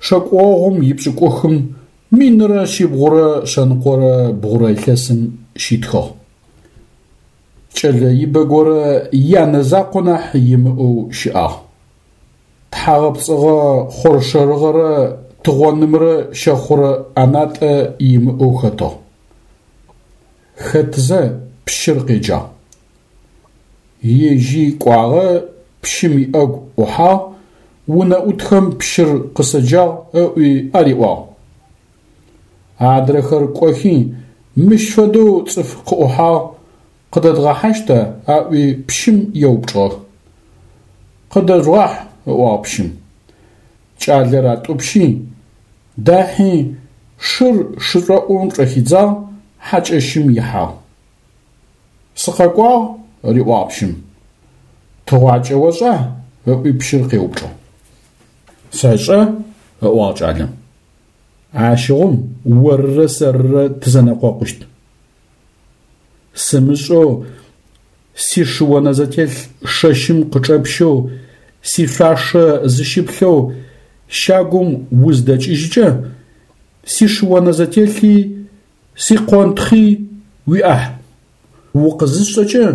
шэкӏогъум ипшӏыкӏухым Минрэ шъибгъурэ шъэныкъорэ бгъурэ илъэсым щитхыгъ. Кӏэлэ ибэ горэ янэ закъо нахь имыӏэу щыӏагъ. Тхьагъэпцӏыгъэ хъоршэрыгъэрэ тыгъонымрэ щэхъурэ ӏэнатӏэ имыӏэу хэтыгъ. Хэтзэ пщыр къеджагъ. Ежьи кӏуагъэ, пщым иӏэгу ӏухьагъ, унэӏутхэм пщыр къысэджагъ ыӏуи ариӏуагъ. Адрэхэр кӏохи, мыщ фэдэу цӏыф къыӏухьагъ, къыдэдгъэхьащта? аӏуи пщым еупчӏыгъэх. Къыдэжъугъахь, ыӏуагъ пщым. Кӏалэр атӏупщи, дахьи, шыр шышӏоӏум чӏэхидзагъ, хьакӏэщым ихьагъ. Сыкъэкӏуагъ, риӏуагъ пщым. Тыгъуакӏэ ошӏа? ыӏуи пщыр къеупчӏыгъ. Сэшӏэ, ыӏуагъ кӏалэм. Ащыгъум орырэ сэрырэ тызэнэкъокъущт. Сымышӏэу сишыонэзэтелъ шэщым къычӏэпщэу, сишъуашэ зыщыплъэу щагум уздэкӏыжькӏэ, сишыонэзэтелъи Сикъонтхъи уиӏахь. Укъызысшӏэкӏэ,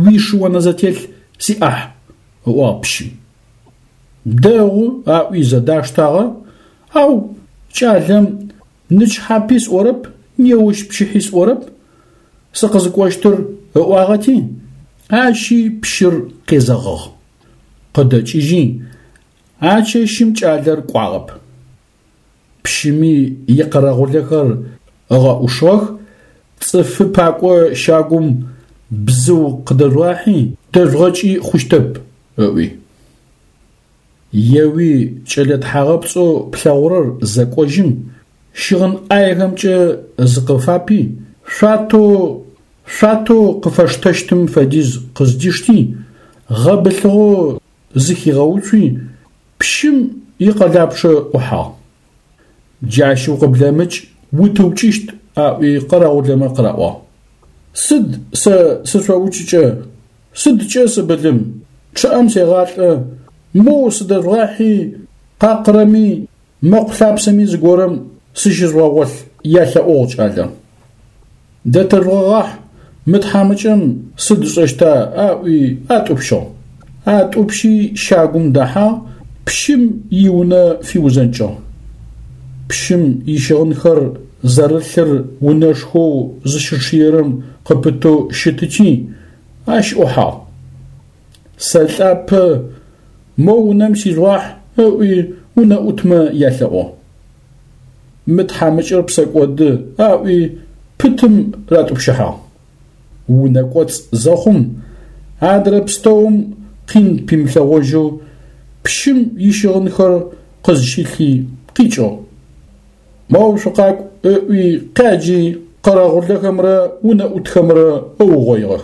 уишыонэзэтелъ сиӏахь, ыӏуагъ пщым. Дэгъу, аӏуи зэдаштагъэ, ау кӏалэм нычхьапи сӏорэп, неущ пчыхьи сӏорэп, сыкъызыкӏощтыр ыӏуагъэти, ащи пщыр къезэгъыгъ. Къыдэкӏыжьи, а чэщым кӏалэр кӏуагъэп. Пщыми икъэрэгъулэхэр ыгъэӏушыгъэх, цӏыфы пакӏо щагум бзыу къыдэжъугъахьи, дэжъугъэкӏи хъущтэп, ыӏуи. Еуи кӏэлэ тхьагъэпцӏэу плъэгъурэр зэкӏожьым, щыгъын ӏаехэмкӏэ зыкъыфапи, шъуатэу шъуатэу къыфэштэщтым фэдиз къыздишти, гъэбылъыгъэу зыхигъэуцуи, Пщым икъэлапчъэ ӏухьагъ. Джащ укъыблэмыкӏ, утыукӏыщт, аӏуи къэрэгъулэмэ къыраӏуагъ. Сыд сэ сышъоукӏыкӏэ, сыдкӏэ сыбылым, чъыӏэм сегъалӏэ, моу сыдэжъугъахьи, къакъырэми, мэкъу лъапсэми зыгорэм сыщыжъугъэгъолъ, ялъэӏугъ кӏалэм. Дэтэжъугъэгъахь, мы тхьамыкӏэм сыд ышӏэщта, аӏуи атӏупщыгъ. Атӏупщи щагум дэхьагъ, пщым иунэ фиузэнкӏыгъ. Пщым ищыгъынхэр зэрылъыр унэшхоу зыщычъыерэм къыпытэу щытыти, ащ ӏухьагъ. Сэлӏапэ, мо унэм сижъугъахь, ыӏуи унэӏутмэ ялъэӏугъ. Мы тхьамыкӏэр псэкӏоды, аӏуи пытым ратӏупщыхьагъ. Унэ кӏоцӏ зэхъум, адрэ пстэум къин пимылъэгъожьэу пщым ищыгъынхэр къызщилъи къикӏыгъ. Моу шъукъакӏу ыӏуи къяджи къэрэгъулэхэмрэ унэӏутхэмрэ ыугъоигъэх.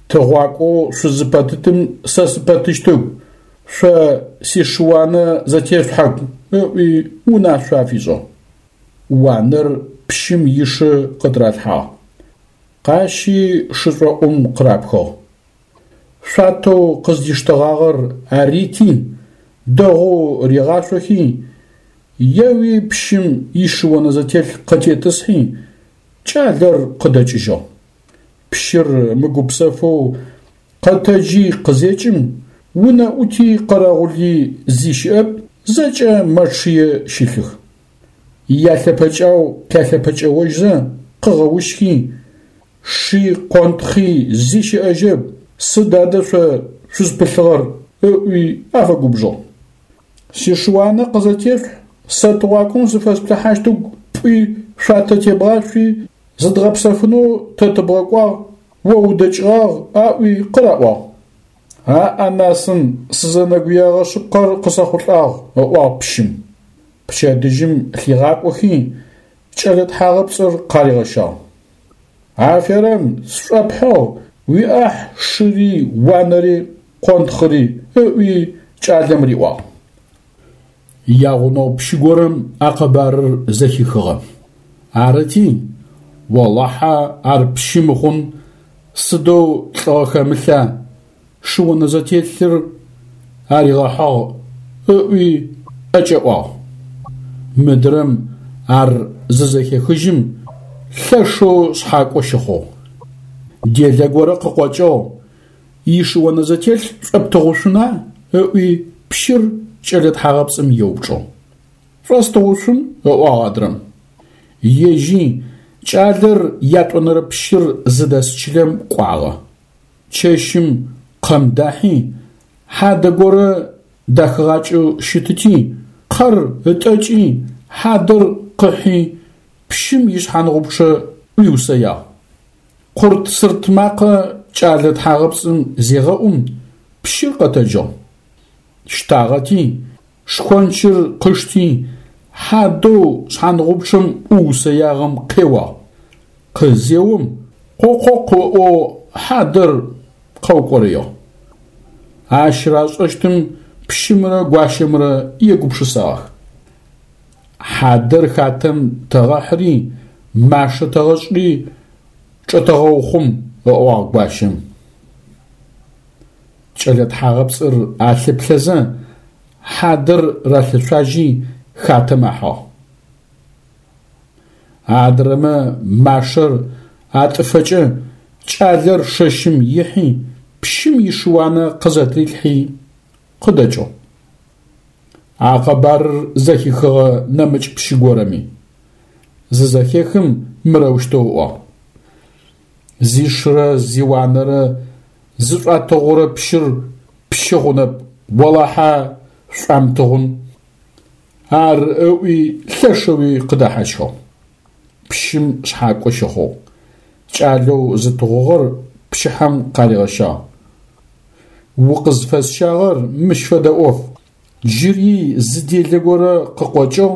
Тыгъуакӏоу шъузыпэтытым сэ сыпэтыщтыгу, шъо сишыуанэ зэтешъухьэгу ыӏуи унашъо афишӏыгъ. Уанэр пщым ишы къытыралъхьагъ. Къащи шышӏоӏум къырапхыгъ. Шъуатэу къыздиштэгъагъэр арити, дэгъоу ригъашъохи, еуи пщым ишыонэзэтелъ къытетӏысхьи, кӏалэр къыдэкӏыжьыгъ. Пщыр мыгупсэфэу къэтэджи къызекӏым, унэӏути къэрэгъули зи щыӏэп, зэкӏэ мэчъые щылъых. Ялъэпэкӏау къялъэпэкӏэожьзэ къыгъэущхи, ши къонтхъи зи щыӏэжьэп, сыд адэ шъо шъузпылъыгъэр? ыӏуи афэгубжыгъ. Сишыуанэ къызэтешъухь, сэ тыгъуакӏом зыфэсплъыхьащтыгу пӏуи шъуатэ тебгъашъуи, зыдгъэпсэфынэу тэ тыбгъэкӏуагъ, о удэкӏыгъагъ аӏуи къыраӏуагъ. Аӏанасын, сызэнэгуягъэ шъыпкъэр къысэхъулӏагъ, ыӏуагъ пщым. Пчэдыжьым лъигъакӏохи, кӏэлэ тхьагъэпцӏыр къаригъэщагъ. Аферэм, сшӏопхьыгъ, уиӏахь шыри, уанэри, къонтхъыри, ыӏуи кӏалэм риӏуагъ. Ягъунэгъу пщы горэм а къэбарыр зэхихыгъэ. Арыти, Олахьэ ар пщы мыхъун, сыдэу лӏыгъэ хэмылъа, шыонэзэтелъыр аригъэхьыгъ ыӏуи ӏэкӏэӏуагъ. Мыдрэм ар зызэхехыжьым, лъэшэу шъхьакӏо щыхъугъ. Делэ горэ къыкъокӏыгъ, ишыонэзэтелъ шӏоптыгъушъуна? ыӏуи пщыр кӏэлэ тхьагъэпцӏым еупчӏыгъ. Шӏостыгъушъун, ыӏуагъ адрэм. Ежьи кӏалэр ятӏонэрэ пщыр зыдэс чылэм кӏуагъэ. Чэщым къэм дахьи, хьадэ горэ дахыгъакӏэу щытыти, къэр ытӏэкӏи, хьадэр къыхьи, пщым ишъхьангъупчъэ ӏуиусэягъ. Къурт-сырт макъэ кӏалэ тхьагъэпцӏым зегъэӏум, пщыр къэтэджыгъ. Щтагъэти, шхончыр къышти, хьадэу шъхьангъупчъэм ӏуусэягъэм къеуагъ. Къызеом, къокъокъу ыӏоу хьадэр къэукӏорэигъ. Ащ рашӏэщтым пщымрэ гуащэмрэ егупшысагъэх. Хьадэр хатэм тэгъэхьыри, машэ тэгъэшӏри чӏэтэгъэухъум, ыӏуагъ гуащэм. Кӏэлэ тхьагъэпцӏыр алъыплъэзэ, хьадэр ралъэшъуажьи хатэм ахьыгъ. Адрэмэ машэр атӏыфэкӏэ кӏалэр шэщым ихьи, пщым ишыуанэ къызэтрилъхьи къыдэкӏыгъ. А къэбарыр зэхихыгъэ нэмыкӏ пщы горэми. Зызэхехым мырэущтэу ыӏуагъ. Зишырэ зиуанэрэ зышӏуатыгъурэ пщыр пщы хъунэп, олахьэ шӏуамтыгъун. Ар ыӏуи лъэшэуи къыдэхьащхыгъ. Пщым шъхьакӏо щыхъугъ. Кӏалэу зытыгъугъэр пчыхьэм къаригъэщагъ. Укъызфэсщагъэр мыщ фэдэ ӏоф. Джыри зы делэ горэ къыкъокӏыгъ,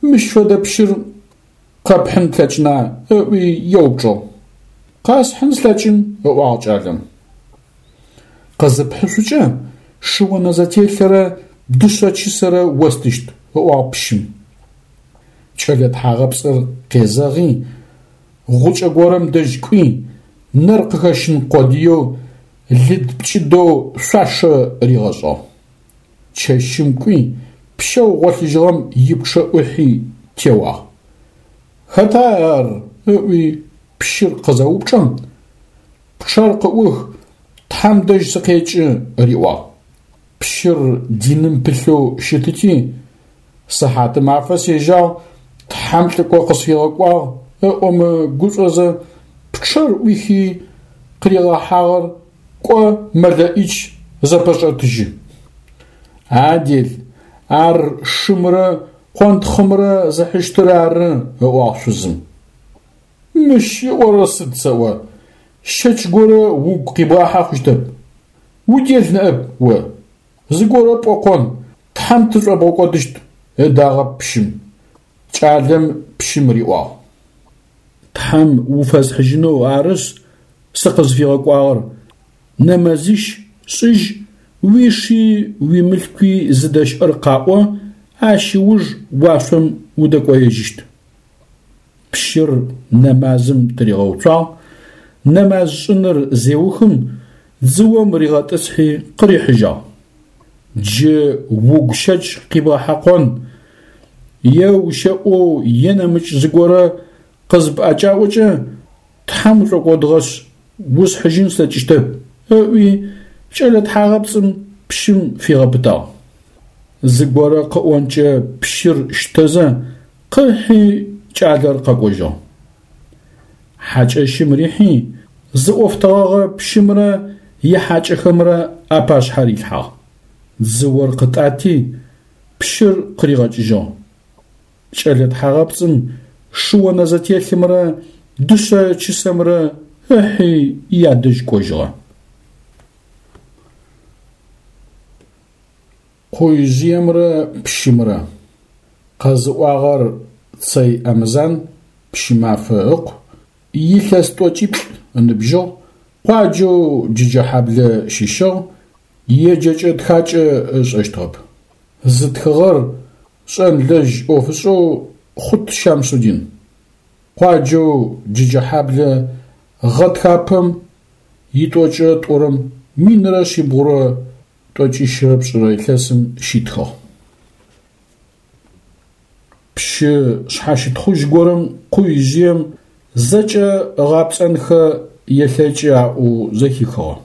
мыщ фэдэ пщыр къэпхьын плъэкӏына? ыӏуи еупчӏыгъ. Къэсхьын слъэкӏын, ыӏуагъ кӏалэм. Къызыпхьышъукӏэ, шыонэзэтелъырэ дышъэ чысэрэ остыщт, ыӏуагъ пщым. Кӏэлэ тхьагъэпцӏыр къезэгъи, гъукӏэ горэм дэжь кӏуи, нэр къыхэщын къодыеу лыд-пкӏыдэу шъуашэ ригъэшӏыгъ. Чэщым кӏуи, пщэу гъолъыжьыгъэм ипчъэ ӏухьи теуагъ. Хэта ар? ыӏуи пщыр къызэупчӏэм, Пчъэр къыӏух, Тхьэм дэжь сыкъекӏы, риӏуагъ. Пщыр диным пылъэу щытыти, сыхьатымафэ сежьагъ, Тхьэм лӏыкӏо къысфигъэкӏуагъ ыӏомэ гушӏозэ, пчъэр ӏуихи къыригъэхьагъэр кӏо мэлэӏич зэпэшӏэтыжьы. А дел, ар шымрэ къонтхъымрэ зыхьыщтыр ары, ыӏуагъ шъузым. Мыщ ыӏорэр сыд сэӏо? Щэч горэ угу къибгъахьэ хъущтэп. Удел ныӏэп о. Зыгорэ пӏокъон, Тхьэм тышӏобгъэкӏодыщт, ыдагъэп пщым. Кӏалэм пщым риӏуагъ. Тхьэм уфэсхьыжьынэу арышъ сыкъызфигъэкӏуагъэр, нэмазищ шӏыжь, уиши уимылъкуи зыдэщыӏэр къаӏо, ащ ыуж уашъом удэкӏоежьыщт. Пщыр нэмазым тыригъэуцуагъ, нэмаз шӏыныр зеухым, дзыом ригъэтӏысхьи къырихьыжьагъ. Джы угу щэч къибгъэхьэкъон, е ущэӏоу е нэмыкӏ зыгорэ къызыпӏэкӏаӏокӏэ, Тхьэм ушӏокӏодыгъэшъ, усхьыжьын слъэкӏыщтэп, ыӏуи, кӏэлэ тхьагъэпцӏым пщым фигъэпытагъ. Зыгорэ къыӏонкӏэ пщыр щтэзэ, къыхьи кӏалэр къэкӏожьыгъ. Хьакӏэщым рихьи, зыӏофтэгъэгъэ пщымрэ ихьакӏэхэмрэ апашъхьэ рилъхьагъ. Дзыор къытӏати, пщыр къыригъэкӏыжьыгъ. Кӏэлэ тхьагъэпцӏым шы-онэзэтелъымрэ дышъэ чысэмрэ ыхьи ядэжь кӏожьыгъэ. Къуижъыемрэ пщымрэ. Къэзыӏуагъэр Цэй Амзан Пщымафэ ыкъу, илъэс тӏокӏиплӏ ыныбжьыгъ, къуаджэу Джыджэхьаблэ щыщыгъ, еджэкӏэ-тхакӏэ ышӏэщтыгъэп. Зытхыгъэр шӏэнлэжь ӏофышӏэу Хъут Щамсудин. Къуаджэу Джыджэхьаблэ гъэтхапэм итӏокӏырэ тӏурэм 1192 илъэсым щитхыгъ. Пщы шъхьащытхъужь горэм къуижъыем зэкӏэ ыгъапцӏэнхэ елъэкӏы аӏоу зэхихыгъэ.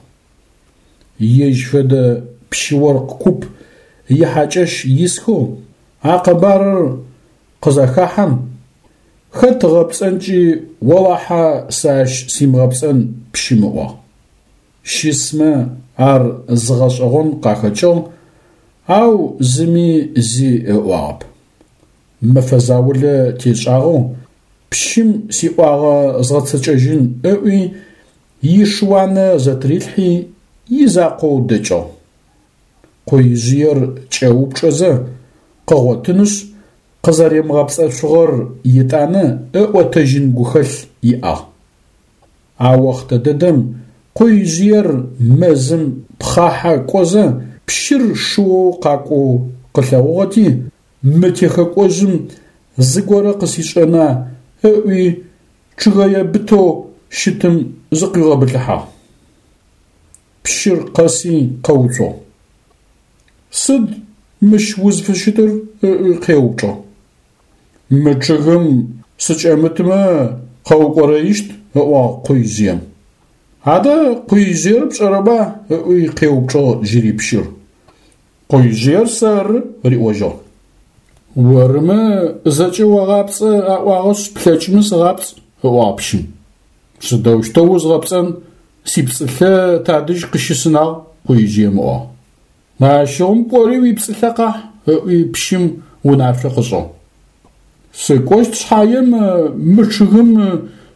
Ежь фэдэ пщы-оркъ куп ихьакӏэщ исхэу а къэбарыр къызахахьэм, хэт ыгъэпцӏэнкӏи олахьэ сэ ащ симыгъэпцӏэн пщым ыӏуагъ. Щысмэ ар зыгъэшӏэгъон къахэкӏыгъ, ау зыми зи ыӏуагъэп. Мэфэ заулэ тешӏагъэу пщым сиӏуагъэ згъэцэкӏэжьын ыӏуи, ишыуанэ зэтырилъхьи, изакъоу дэкӏыгъ. Къуижъыер кӏэупчӏэзэ къыгъотынышъ, къызэримыгъэпцӏэшъугъэр етӏанэ ыӏотэжьын гухэлъ иӏагъ. А охътэ дэдэм къуижъыер мэзым пхъахьэ кӏозэ пщыр шыоу къакӏоу къылъэгъугъэти, мы техэкӏожъым зыгорэ къысишӏэна ыӏуи чъыгэе бытэу щытым зыкъуигъэбылъыхьагъ. Пщыр къэси къэуцугъ. Сыд мыщ узфыщытыр? ыӏуи къеупчӏыгъ. Мы чъыгым сыкӏэмытмэ къэукӏорэищт, ыӏуагъ къуижъыем. Адэ къуижъыер пшӏэрэба? ыӏуи къеупчӏыгъ джыри пщыр. Къуижъыер сэры, риӏожьыгъ. Орымэ зэкӏэ огъапцӏэ аӏуагъэшъ, плъэкӏымэ сыгъапцӏ, ыӏуагъ пщым. Сыдэущтэу узгъэпцӏэн, сипцӏылъэ тадэжь къыщысынагъ, къуижъыем ыӏуагъ. Ащыгъум кӏори уипцӏылъэ къахь, ыӏуи пщым унашъо къышӏыгъ. Сыкӏощт шъхьаем мы чъыгым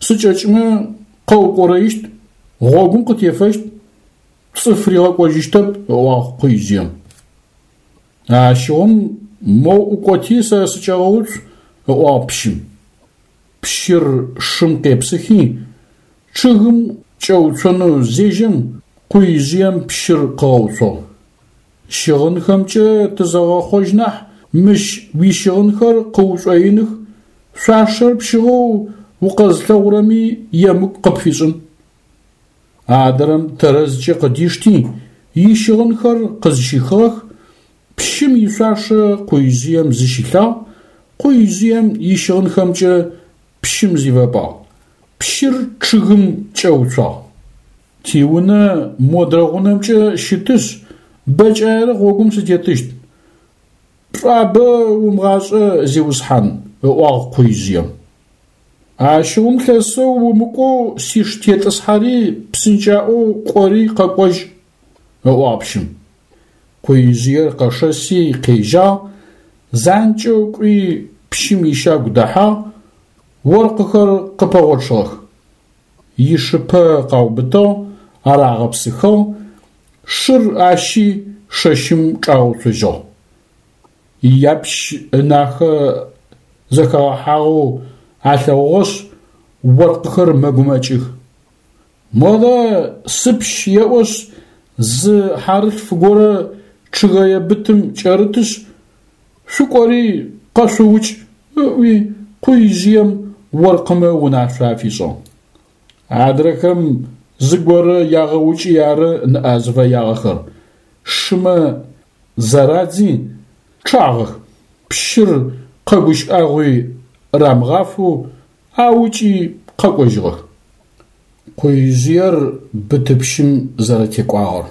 сыкӏэкӏмэ къэукӏорэищт, гъогум къытефэщт, цӏыф ригъэкӏожьыщтэп, ыӏуагъ къуижъыем. Ащыгъум моу ӏукӏоти сэ сыкӏэгъэуцу, ыӏуагъ пщым. Пщыр шым къепсыхи, чъыгым кӏэуцонэу зежьэм, къуижъыем пщыр къыгъэуцугъ. Щыгъынхэмкӏэ тызэгъэхъожь нахь, мыщ уищыгъынхэр къыушӏоиных, шъуашэр пщыгъэу укъэзылъэгъурэми емыкӏу къыпфишӏын. Адрэм тэрэзкӏэ къыдишти, ищыгъынхэр къызщихыгъэх, пщым ишъуашэ къуижъыем зыщилъагъ, къуижъыем ищыгъынхэмкӏэ пщым зифэпагъ. Пщыр чъыгым кӏэуцуагъ. Тиунэ модрэ гъунэмкӏэ щытышъ, бэкӏаерэ гъогум сытетыщт. Пшӏуабэ умыгъашӏэ, зиусхьан, ыӏуагъ къуижъыем. Ащыгъум лъэсэу умыкӏоу сиш тетӏысхьэри псынкӏаӏоу кӏори къэкӏожь, ыӏуагъ пщым. Къуижъыер къэшэси къежьагъ, занкӏэу кӏуи пщым ищагу дэхьагъ, оркъыхэр къыпэгъочъыгъэх. ишыпэ къаубытыгъ, арагъэпсыхыгъ, шыр ащи шэщым чӏагъэуцожьыгъ. Япщ ынахэ зэхэгъэхьагъэу алъэгъугъэшъ, оркъыхэр мэгумэкӏых. Модэ сыпщ еӏошъ, зы хьарылъф горэ чъыгэе бытым кӏэрытышъ, шъукӏори къэшъуукӏ, ыӏуи Къуижъыем оркъымэ унашъо афишӏыгъ. Адрэхэм зыгорэ ягъэукӏи ары ныӏа зыфэягъэхэр, шымэ зарадзи, чъагъэх, пщыр къэгущыӏэгъуи рамыгъафэу аукӏи къэкӏожьыгъэх. Къуижъыер бытыпщым зэрэтекӏуагъэр.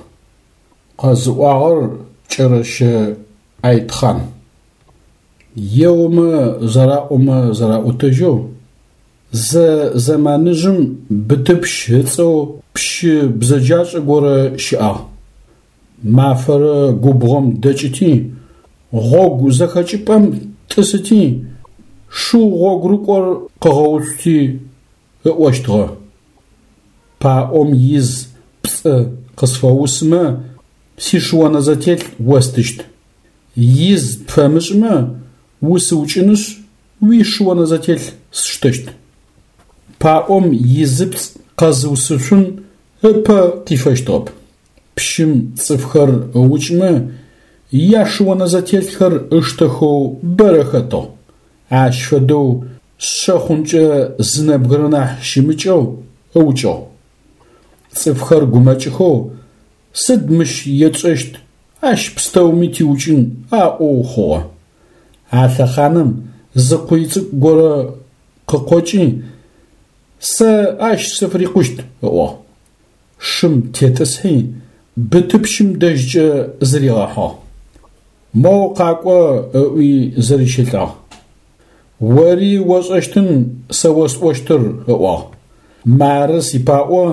Къэзыӏуагъэр Кӏэрэщэ Айтхъан. Еомэ зэраӏомэ зэраӏотэжьэу, зы зэманыжъым Бытыпщ ыцӏэу пщы бзэджашӏэ горэ щыӏагъ. Мафэрэ губгъом дэкӏыти, гъогу зэхэкӏыпӏэм тӏысыти, шыу гъогурыкӏор къыгъэуцути ыӏощтыгъэ: Паӏом из пцӏы къысфэусымэ, сишыонэзэтелъ остыщт. Из пфэмышӏымэ, усыукӏынышъ, уишыонэзэтелъ сштэщт. Паӏом изыпцӏ къэзыусышъун ыпэ къифэщтыгъэп. Пщым цӏыфхэр ыукӏымэ, яшыонэзэтелъхэр ыштэхэу бэрэ хэтыгъ. Ащ фэдэу шъэ хъункӏэ зы нэбгырэ нахь щымыкӏэу ыукӏыгъ. Цӏыфхэр гумэкӏыхэу, сыд мыщ етшӏэщт, ащ пстэуми тиукӏын аӏоу хъугъэ. А лъэхъаным зы къуй цӏыкӏу горэ къыкъокӏи, сэ ащ сыфырикъущт ыӏуагъ. Шым тетӏысхьи, бытыпщым дэжькӏэ зыригъэхьыгъ. Моу къакӏо ыӏуи зырищэлӏагъ. Ори ошӏэщтын сэ осӏощтыр, ыӏуагъ. Мары сипаӏо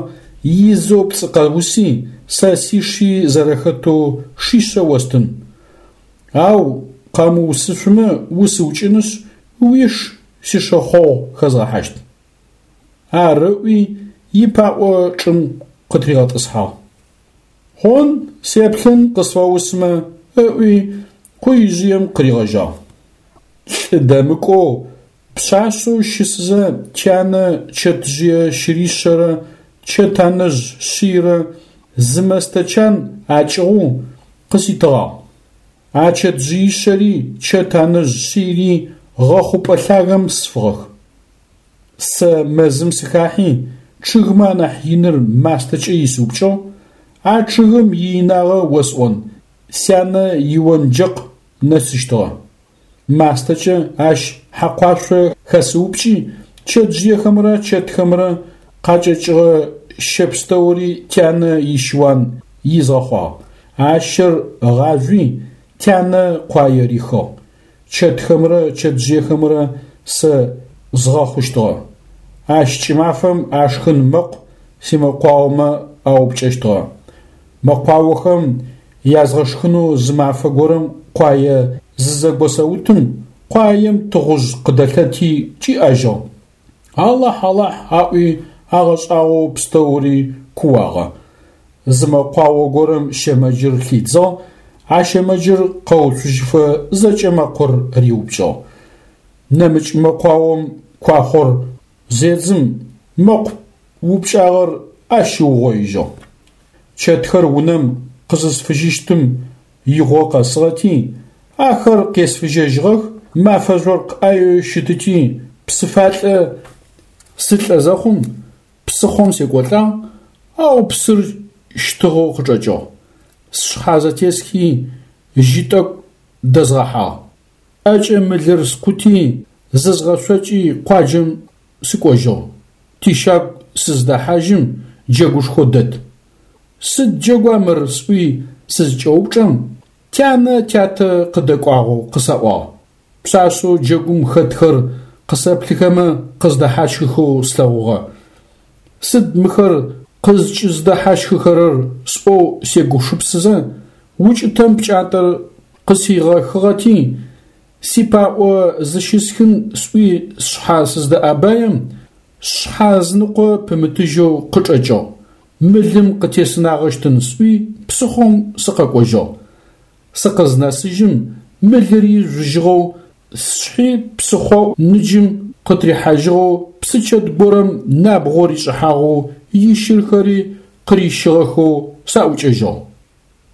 изэу пцӏы къэуси, сэ сиши зэрэхэтэу шишъэ остын. Ау къэмыусышъумэ усыукӏынышъ, уиш сишэхъогъу хэзгъэхьащт. Ар ыӏуи, ипаӏо чӏым къытыригъэтӏысхьагъ. Хъун, сеплъын къысфэусмэ, ыӏуи, къуижъыем къыригъэжьагъ. Лӏы дэмыкӏоу, пшъашъэу щысызэ тянэ чэтжъые щыришъэрэ чэтанэжъ шъийрэ зы мэстэ чан акӏыгъоу къыситыгъагъ. А чэтжъыишъэри чэтанэжъ шъийри гъэхъупӏэ лъагэм сфыгъэх. Сэ мэзым сыхахьи, чъыгмэ анахь иныр мастэкӏэ исыупкӏыгъ, а чъыгым иинагъэ осӏон, сянэ ионджэкъ нэсыщтыгъэ. Мастэкӏэ ащ хьэкъуашъо хэсыупкӏи, чэтжъыехэмрэ чэтхэмрэ къакӏэкӏыгъэ щэ пстэури тянэ ищыуан изгъэхъуагъ. А щэр ыгъажъуи, тянэ къуае рихыгъ. Чэтхэмрэ чэтжъыехэмрэ сэ згъэхъущтыгъэ. Ащ кӏымафэм ашхын мэкъу симэкъуаомэ аупкӏэщтыгъэ. Мэкъуаохэм язгъэшхынэу зы мафэ горэм къуае зызэгосэутым, къуаем тыгъужъ къыдэлъэти кӏиӏэжьыгъ. Алахь, Алахь аӏуи агъэшӏагъоу пстэури кууагъэ. Зы мэкъуао горэм щэмэджыр хидзыгъ, а щэмэджыр къэуцужьыфэ зэкӏэ мэкъур риупкӏыгъ. Нэмыкӏ мэкъуаом куахъор зедзым, мэкъу упкӏагъэр ащ ыугъоижьыгъ. Чэтхэр унэм къызысфыжьыщтым игъо къэсыгъэти, ахэр къесфыжьэжьыгъэх, мафэ жъоркъ ӏаеу щытыти, псыфалӏэ сылӏэ зэхъум, псыхъом секӏолӏагъ, ау псыр щтыгъэу къычӏэкӏыгъ. Сшъхьэ зэтесхи, жьы тӏэкӏу дэзгъэхьагъ. ӏэкӏэ мылыр скъути, зызгъэшъокӏи къуаджэм сыкӏожьыгъ. Тищагу сыздэхьажьым джэгушхо дэт. Сыд джэгуа мыр сӏуи сызкӏэупчӏэм, тянэ тятэ къыдэкӏуагъэу къысаӏуагъ. Пшъашъэу джэгум хэтхэр къысэплъыхэмэ къыздэхьащхыхэу слъэгъугъэ. Сыд мыхэр къызкӏыздэхьащхыхэрэр сӏоу сегушыпсызэ, укӏытэм пкӏантӏэр къысигъэхыгъэти, сипаӏо зыщысхын сӏуи сшъхьэ сыздэӏэбаем, Сшъхьэ ызыныкъо пымытыжьэу къычӏэкӏыгъ, мылым къытесынагъэщтын сӏуи псыхъом сыкъэкӏожьыгъ. Сыкъызнэсыжьым мылыри жъужьыгъэу, сшъхьи псыхъо ныджым къытырихьажьыгъэу псычэт горэм набгъо ришӏыхьагъэу ищырхэри къырищыгъэхэу саӏукӏэжьыгъ.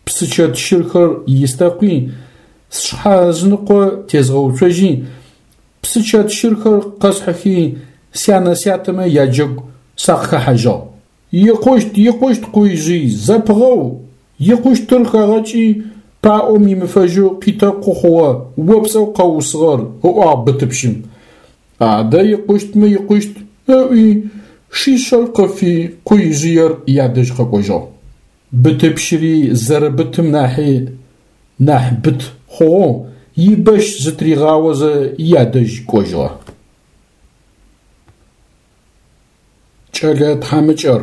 Псычэт щырхэр истэкъуи, сшъхьэ ызыныкъо тезгъэуцожьи, псычэт щырхэр къэсхьыхи, сянэ-сятэмэ яджэгу сакъыхэхьажьыгъ. Икъущт, икъущт, Къуижъый, зэпыгъэу, икъущтыр хэгъэкӏи, паӏом имыфэжьэу къитэкъу хъугъэ о пцӏэу къэуусыгъэр, ыӏуагъ бытыпщым. Адэ икъущтмэ икъущт, ыӏуи, шишъэр къыфи, Къуижъыер ядэжь къэкӏожьыгъ. Бытыпщыри зэрэбытым нахьи нахь быт хъугъэу, ибэщ зытыригъаозэ ядэжь кӏожьыгъэ. Кӏэлэ тхьамыкӏэр,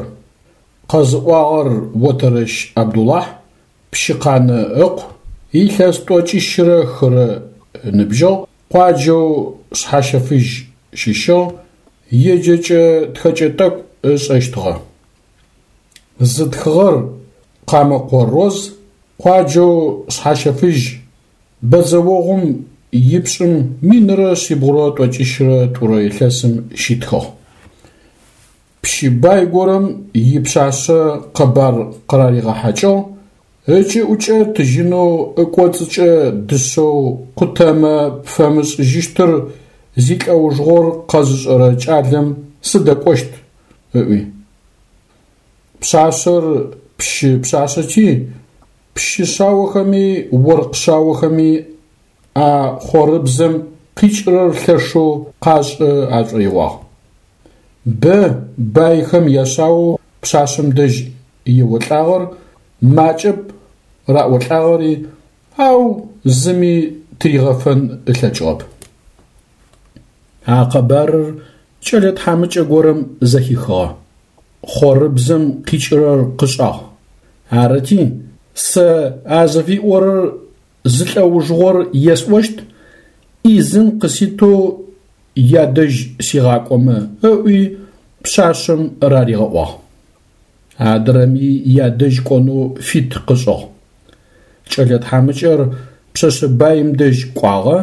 къэзыӏуагъэр Отэрэщ Абдулахь, Пщыкъанэ ыкъу, илъэс тӏокӏищырэ хырэ ыныбжьыгъ, къуаджэу Шъхьащэфыжь щыщыгъ, еджэкӏэ-тхэкӏэ тӏэкӏу ышӏэщтыгъэ. Зытхыгъэр Къамэкъо Роз, къуаджэу Шъхьащэфыжь, бэдзэогъум ипшӏым 1192 илъэсым щитхыгъ. Пщы бай горэм ипшъашъэ къэбар къыраригъэхьакӏыгъ, ыкӏыӏукӏэ тыжьынэу ыкӏоцӏыкӏэ дышъэу къутэмэ пфэмышӏыжьыщтыр зилӏэужыгъор къэзышӏэрэ кӏалэм сыдэкӏощт, ыӏуи. Пшъашъэр пщы пшъашъэти, пщы шъаохэми оркъ шъаохэми а хъорыбзэм къикӏырэр лъэшэу къашӏэ ашӏоигъуагъ. Бэ байхэм яшъаоу пшъашъэм дэжь еолӏагъэр, макӏэп раӏолӏагъэри, ау зыми тыригъэфэн ылъэкӏыгъэп. А къэбарыр кӏэлэ тхьамыкӏэ горэм зэхихыгъэ. Хъорыбзэм къикӏырэр къышӏагъ. Арыти, сэ а зыфиӏорэр зылӏэужыгъор есӏощт, ӏизын къыситэу ядэжь сигъакӏомэ, ыӏуи пшъашъэм раригъэӏуагъ. Адрэми ядэжь кӏонэу фит къышӏыгъ. Кӏэлэ тхьамыкӏэр пшъэшъэ баим дэжь кӏуагъэ,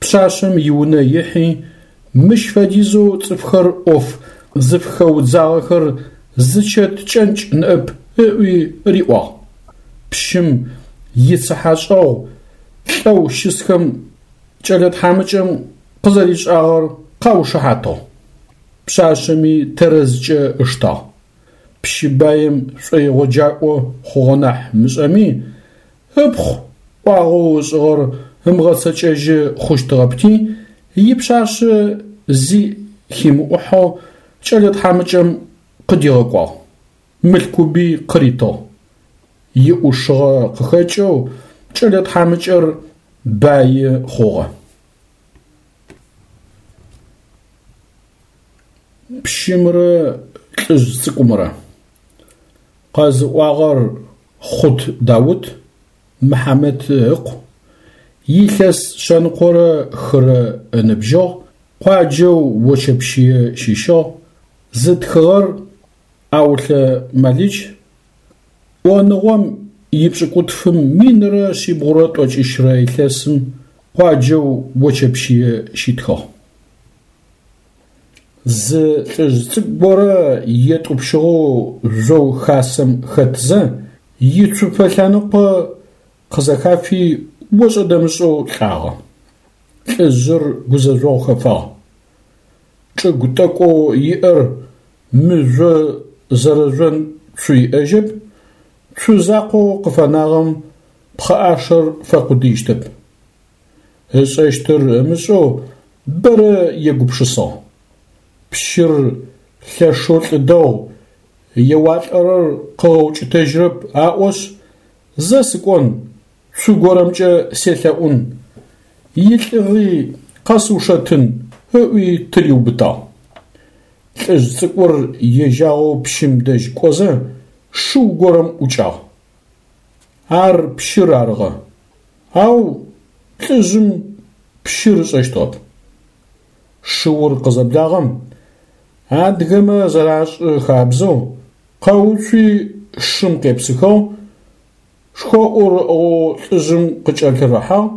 пшъашъэм иунэ ихьи, мыщ фэдизэу цӏыфхэр ӏоф зыфыхэудзагъэхэр зы чэт кӏэнкӏ ныӏэп ыӏуи риӏуагъ. Пщым ицыхьэшӏэгъу лӏэу щысхэм кӏэлэ тхьамыкӏэм къызэришӏагъэр къаушыхьатыгъ. Пшъашъэми тэрэзкӏэ ыштагъ. Пщы баим шӏоигъоджакӏо хъугъэ нахь мышӏэми, ыпхъу ӏуагъэу ышӏыгъэр ымыгъэцэкӏэжьы хъущтыгъэпти, ипшъашъэ зи химыӏухьэу кӏэлэ тхьамыкӏэм къыдигъэкӏуагъ, мылъкуби къыритыгъ. Иӏушыгъэ къыхэкӏэу кӏэлэ тхьамыкӏэр баи хъугъэ. Пщымрэ лӏыжъ цӏыкӏумрэ. Къэзыӏуагъэр Хъут Даут, Мыхьамэт ыкъу, илъэс шъэныкъорэ хырэ ыныбжьыгъ, къуаджэу Очэпщые щыщыгъ, зытхыгъэр Аулъэ Малыч, ӏоныгъом ипшӏыкӏутфым 1390 илъэсым къуаджэу Очэпщые щитхыгъ. Зы лӏыжъ цӏыкӏу горэ етӏупщыгъэу жъоу хасэм хэтзэ, ицупэ лъэныкъо къызэхафи ошӏэ-дэмышӏэу лӏагъэ. Лӏыжъыр гузэжъогъу хэфагъ. Чӏыгу тӏэкӏоу иӏэр мыжъо зэрэжъон цу иӏэжьэп, цу закъоу къыфэнагъэм пхъэӏашэр фэкъудыищтэп. Ышӏэщтыр ымышӏэу бэрэ егупшысагъ. Пщыр лъэшэу лӏы дэгъу, еуалӏэрэр къыгъэукӏытэжьрэп аӏошъ, зэ сыкӏон, цу горэмкӏэ селъэӏун, илӏыгъи къэсыушэтын ыӏуи тыриубытагъ. Лӏыжъ цӏыкӏур ежьагъэу пщым дэжь кӏозэ, шыу горэм ӏукӏагъ. Ар пщыр арыгъэ. Ау лӏыжъым пщыр ышӏэщтыгъэп. Шыур къызэблагъэм, Адыгэмэ зэрашӏы хабзэу, къэуцуи шым къепсыхыгъ, шхоӏур ыӏыгъэу лӏыжъым къыкӏэлъырыхьагъ,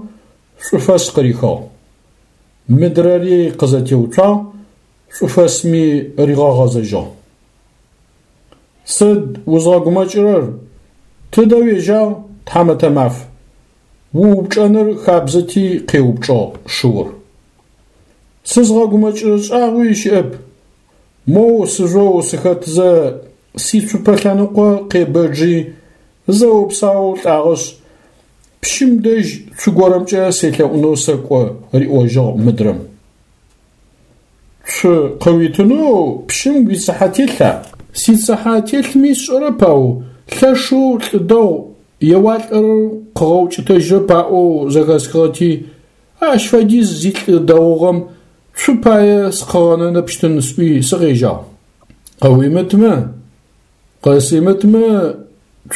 шӏуфэс къырихыгъ. Мыдрэри къызэтеуцуагъ, шӏуфэсми ригъэгъэзэжьыгъ. Сыд узгъэгумэкӏырэр, тыдэ уежьагъ, тхьамэтэ маф? Уупчӏэныр хабзэти къеупчӏыгъ шыур. Сызгъэгумэкӏырэ шӏагъуи щыӏэп. Моу сыжъоу сыхэтзэ сицупэ лъэныкъо къебэджи, зэо-псаоу лӏагъэшъ, пщым дэжь цу горэмкӏэ селъэӏунэу сэкӏо, риӏожьыгъ мыдрэм. Цу къыуитынэу пщым уицыхьэ телъа? Сицыхьэ телъми сшӏэрэп, ау лъэшэу лӏы дэгъу, еуалӏэрэр къыгъэукӏытэжьрэп аӏоу зэхэсхыгъэти, ащ фэдиз зилӏы дэгъугъэм цу пае сыкъыгъэнэнэпщтын сӏуи сыкъежьагъ. Къыуимытмэ, къысимытмэ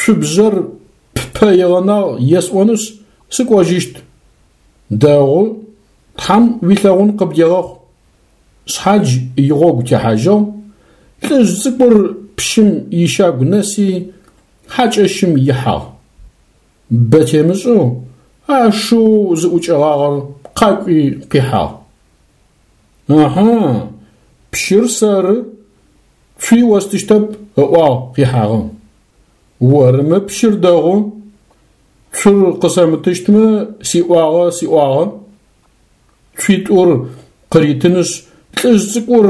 цубжъэр ппэ игъэнагъ есӏонышъ, сыкӏожьыщт. Дэгъу, Тхьэм уилъэгъун къыбдегъэхъу. Шъхьадж игъогу техьажьыгъ, лӏыжъ цӏыкӏур пщым ищагу нэси, хьакӏэщым ихьагъ. Бэ темышӏэу а шыоу зыӏукӏэгъагъэр къакӏуи къихьагъ. Ыхьы, пщыр сэры, цуи остыщтэп, ыӏуагъ къихьагъэм. Орымэ пщыр дэгъу, Цур къысэмытыщтмэ, сиӏуагъэ сиӏуагъэ. Цуитӏур къыритынышъ, лӏыжъ цӏыкӏур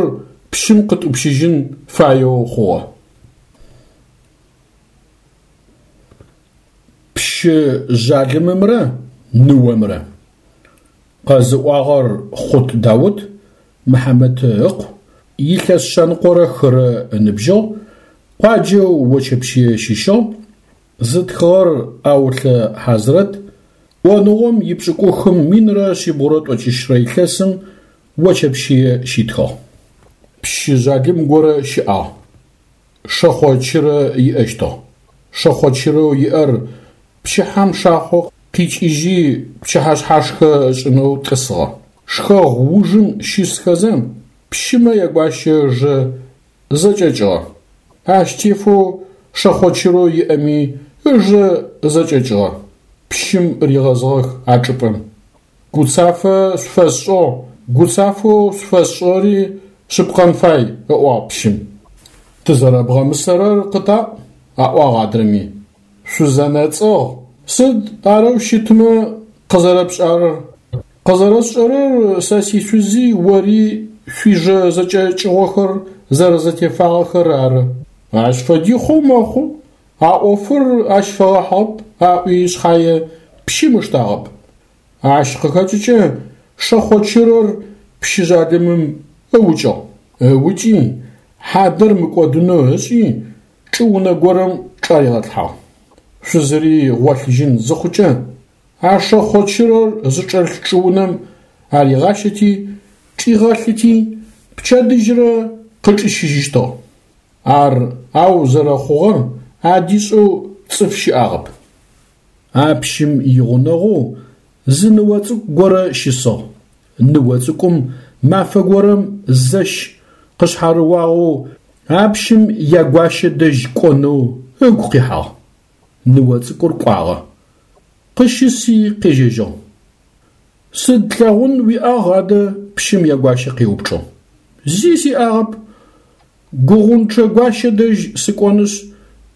пщым къытӏупщыжьын фаеу хъугъэ. Пщы жъалымымрэ ныомрэ. Къэзыӏуагъэр Хъут Даут Мыхьамэт ыкъу, илъэс шъэныкъорэ хырэ ыныбжьыгъ, къуаджэу Очэпщые щыщыгъ, Зытхыгъэр Аулъэ Хьазрэт, ӏоныгъом ипшӏыкӏухым минрэ шъибгъурэ тӏокӏищрэ илъэсым Очэпщые щитхыгъ. Пщы жъалым горэ щыӏагъ. Шэхъо чырэ иӏэщтыгъ. Шэхъо чырэу иӏэр пчыхьэм шахъо къикӏыжьи пчыхьэшъхьашхэ ышӏынэу тӏысыгъэ. Шхэгъу ужым щысхэзэ, пщымэ ягуащэ ыжэ зэкӏэкӏыгъэ. Ащ тефэу шэхъо чырэу иӏэми ыжэ зэкӏэкӏыгъэ. Пщым ригъэзыгъэх а чӏыпӏэм. Гуцафэ шъуфэсшӏыгъ, гуцафэу шъуфэсшӏыгъэри шъыпкъэн фай, ыӏуагъ пщым. Тызэрэбгъэмысэрэр къытаӏу, аӏуагъ адрэми. Шъузэнэцӏыгъ. Сыд арэу щытмэ къызэрэпшӏарэр? Къызэрэсшӏэрэр сэ сишъузи ори шъуижэ зэкӏэкӏыгъохэр зэрэзэтефагъэхэр ары. Ащ фэди хъоу мэхъу, а ӏофыр ащ фэгъэхьыгъэп аӏуи шъхьае пщым ыштагъэп. Ащ къыхэкӏыкӏэ шэхъо чырэр пщы жъалымым ыукӏыгъ. Ыукӏи, хьадэр мыкӏодынэу ышӏи, чӏыунэ горэм чӏаригъэлъхьагъ. Шъузыри гъолъыжьын зыхъукӏэ, а шэхъо чырэр зычӏэлъ чӏыунэм аригъащэти, чӏигъэлъыти, пчэдыжьрэ къычӏищыжьыщтыгъ. Ар ау зэрэхъугъэр адишӏэу цӏыф щыӏагъэп. А пщым игъунэгъоу зы ныо цӏыкӏу горэ щысыгъ. Ныо цӏыкӏум мафэ горэм зэщ къышъхьарыуагъэу а пщым ягуащэ дэжь кӏонэу ыгу къихьагъ. Ныо цӏыкӏур кӏуагъэ. Къыщыси къежьэжьыгъ. Сыд лъэгъун уиӏагъ адэ? Пщым ягуащэ къеупчӏыгъ. Зи сиӏагъэп. Гугъунчъэ гуащэ дэжь сыкӏонышъ,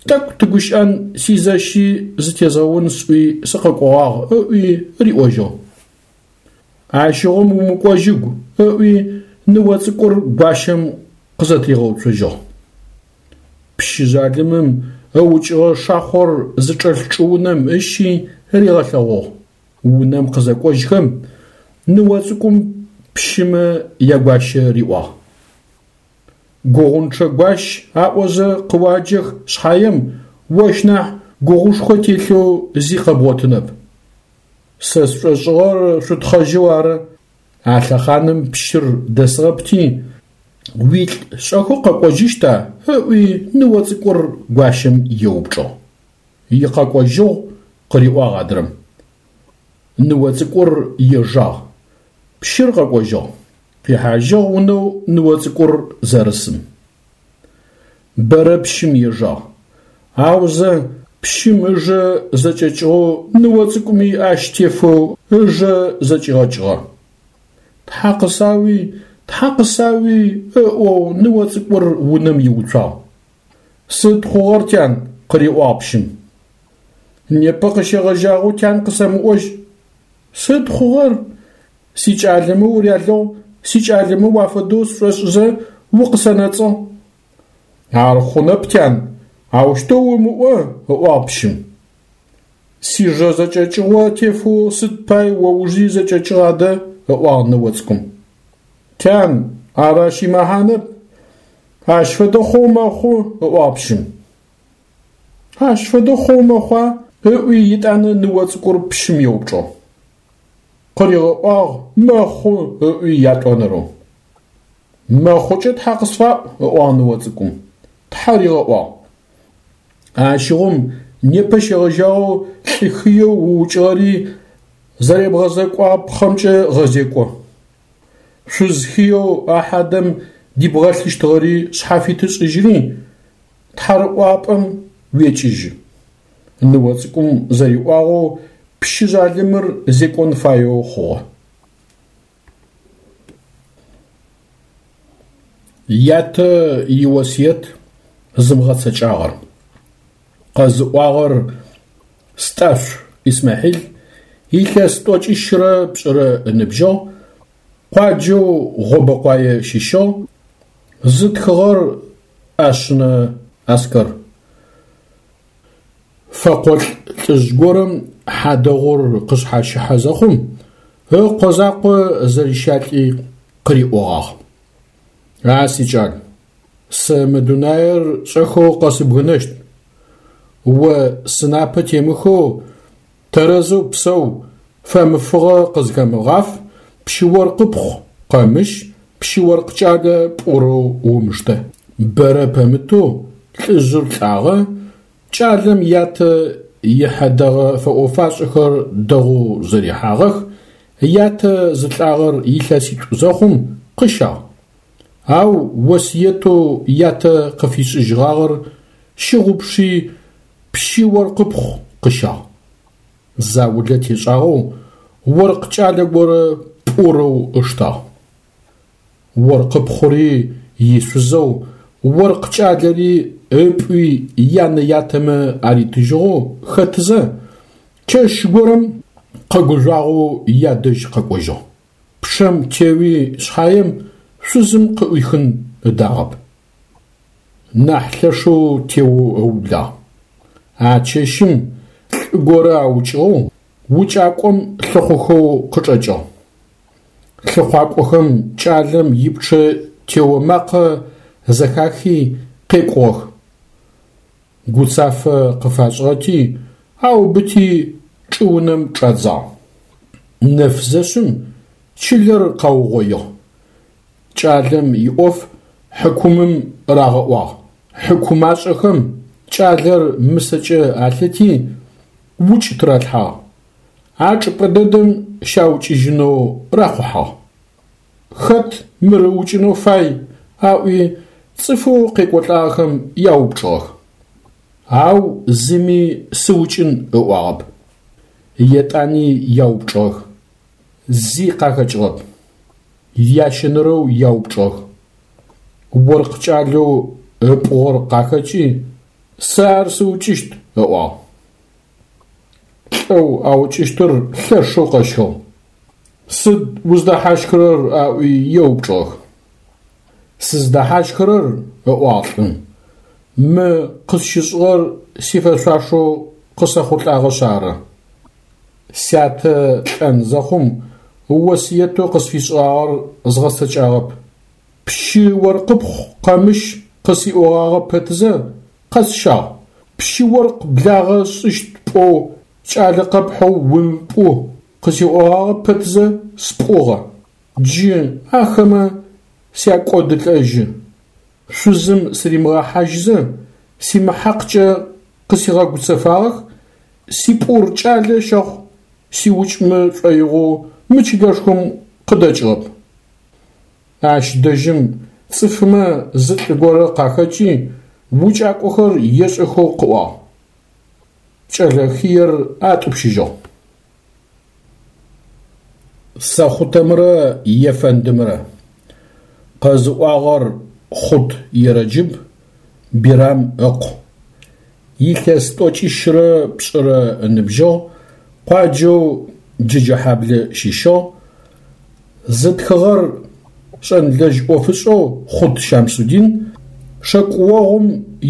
тӏэкӏу тыгущыӏэн сизэщи зытезгъэун сӏуи сыкъэкӏогъагъ, ыӏуи риӏожьыгъ. Ащыгъум умыкӏожьыгу, ыӏуи ныо цӏыкӏур гуащэм къызэтыригъэуцожьыгъ. Пщы жъалымым ыукӏыгъэ шахъор зычӏэлъ чӏыунэм ыщи ригъэлъэгъугъ. Унэм къызэкӏожьхэм, ныо цӏыкӏум пщымэ ягуащэ риӏуагъ. Гугъунчъэ гуащ аӏозэ къыуаджэх шъхьаем, ощ нахь гугъушхо телъэу зи къэбгъотынэп. Сэ сшӏошӏыгъэр шъутхъэжьэу ары. А лъэхъаным пщыр дэсыгъэпти, уилӏ шӏэхэу къэкӏожьыщта? ыӏуи ныо цӏыкӏур гуащэм еупчӏыгъ. Икъэкӏожьыгъу, къыриӏуагъ адрэм. Ныо цӏыкӏур ежагъ. Пщыр къэкӏожьыгъ. Къихьажьыгъ унэу ныо цӏыкӏур зэрысым. Бэрэ пщым ежагъ. Аузэ пщым ыжэ зэкӏэкӏыгъэу ныо цӏыкӏуми ащ тефэу ыжэ зэкӏигъэкӏыгъэ. Тхьа къысауи, тхьа къысауи ыӏоу ныо цӏыкӏур унэм иуцуагъ. Сыд хъугъэр, тян? къыриӏуагъ пщым. Непэ къыщегъэжьагъэу тян къысэмыӏожь. Сыд хъугъэр? Сикӏалэмэ урялэгъу, сикӏалэмэ уафэдэу сшӏошӏызэ укъысэнэцӏыгъ. Ар хъунэп, тян, аущтэу умыӏо, ыӏуагъ пщым. Сижэ зэкӏэкӏыгъо тефэу сыд пай о ужи зэкӏэкӏыгъ адэ, ыӏуагъ ныо цӏыкӏум. Тян, ар ащ имэхьанэп. Ащ фэдэ хъоу мэхъу, ыӏуагъ пщым. Ащ фэдэ хъоу мэхъуа? ыӏуи етӏанэ ныо цӏыкӏур пщым еупчӏыгъ. Къыригъэӏуагъ мэхъу ыӏуи ятӏонэрэу. Мэхъукӏэ тхьа къысфаӏу, ыӏуагъ ныо цӏыкӏум. Тхьэ ригъэӏуагъ. Ащыгъум непэ щегъэжьагъэу лӏы хыеу уукӏыгъэри зэребгъэзэкӏуапхъэмкӏэ гъэзекӏо. Шъуз хыеу а хьадэм дибгъэлъыщтыгъэри шъхьафиты шӏыжьри, тхьарыӏуапӏэм уекӏыжьы. Ныо цӏыкӏум зэриӏуагъэу пщы жъалымыр зекӏон фаеу хъугъэ. Ятэ иосыет зымыгъэцэкӏагъэр. Къэзыӏуагъэр Стӏашъу Исмахьил, илъэс тӏокӏищрэ пшӏырэ ыныбжьыгъ, къуаджэу Гъобэкъуае щыщыгъ, зытхыгъэр ӏэшъынэ Аскэр. Фэкъолӏ лӏыжъ горэм хьадэгъур къышъхьащыхьэ зэхъум, ыкъо закъо зэрищалӏи къыриӏогъагъ: А сикӏал, сэ мы дунаир шӏэхэу къэсыбгынэщт. О сынапэ темыхэу тэрэзэу псэу, фэмыфыгъэ къызхэмыгъаф, пщы-оркъыпхъу къэмыщ, пщы-оркъ кӏалэ пӏурэу умыштэ. Бэрэ пэмытэу лӏыжъыр лӏагъэ, кӏалэм ятэ ихьэдэгъэ фэӏо-фашӏэхэр дэгъоу зэрихьагъэх, ятэ зылӏагъэр илъэситӏу зэхъум къыщагъ. Ау осыетэу ятэ къыфишӏыжьыгъагъэр щыгъупши, пщы-оркъыпхъу къыщагъ. Заулэ тешӏагъэу оркъ кӏалэ горэ пӏурэу ыштагъ. Оркъыпхъури ишъузэу, оркъ кӏалэри ыпӏуи янэ-ятэмэ аритыжьыгъэу хэтызэ, чэщ горэм къэгужъуагъэу ядэжь къэкӏожьыгъ. Пчъэм теуи шъхьаем шъузым къыӏуихын ыдагъэп. Нахь лъэшэу теоу ыублагъ. А чэщым лӏы горэ аукӏыгъэу, укӏакӏом лъыхъухэу къычӏэкӏыгъ. Лъыхъуакӏохэм кӏалэм ипчъэ тео макъэ зэхахи къекӏугъэх. Гуцафэ къыфашӏыгъэти, аубыти чӏыунэм чӏадзагъ. Нэф зэшъым чылэр къаугъоигъ. Кӏалэм иӏоф хьыкумым рагъэӏуагъ. Хьыкумашӏэхэм кӏалэр мысэкӏэ алъыти, укӏ тыралъхьагъ. А чӏыпӏэ дэдэм щаукӏыжьынэу рахъухьагъ. Хэт мыр ыукӏынэу фай? аӏуи цӏыфэу къекӏолӏагъэхэм яупчӏыгъэх. Ау зыми сыукӏын ыӏуагъэп. Етӏани яупчӏыгъэх. Зи къахэкӏыгъэп. Ящэнэрэу яупчӏыгъэх. Оркъ кӏалэу ыпӏугъэр къахэкӏи, сэ ар сыукӏыщт ыӏуагъ. Лӏэу аукӏыщтыр лъэшэу къэщхыгъ. Сыд уздэхьащхырэр? аӏуи еупчӏыгъэх. Сыздэхьащхырэр, ыӏуагъ лӏым, мы къысщышӏыгъэр сифэшъуашэу къысэхъулӏагъэшъ ары. Сятэ лӏэн зэхъум осыетэу къысфишӏыгъагъэр згъэцэкӏагъэп. Пщы-оркъыпхъу къэмыщ къысиӏогъагъэ пэтызэ, къэсщагъ. Пщы-оркъ благъэ сшӏыщт пӏоу кӏалэ къэпхьэу умыпӏу къысиӏогъагъэ пэтызэ спӏугъэ. Джы ахэмэ сякӏодылӏэжьы. Шъузым сыримыгъэхьажьызэ, симыхьакъкӏэ къысигъэгуцэфагъэх, сипӏур кӏалэ щэхъу сиукӏмэ шӏоигъоу мы чылэшхом къыдэкӏыгъэп. Ащ дэжьым цӏыфмэ зы лӏы горэ къахэкӏи, укӏакӏохэр ешӏэхэу къыӏуагъ. Кӏэлэ хыер атӏупщыжьыгъ. Сэхъутэмрэ ефэндымрэ. Къэзыӏуагъэр Хъут Ерэджыб, Бирам ыкъу. Илъэс тӏокӏищрэ пшӏырэ ыныбжьыгъ, къуаджэу Джэджэхьаблэ щыщыгъ. Зытхыгъэр шӏэнлэжь ӏофышӏэу Хъут Щамсудин, шэкӏоогъум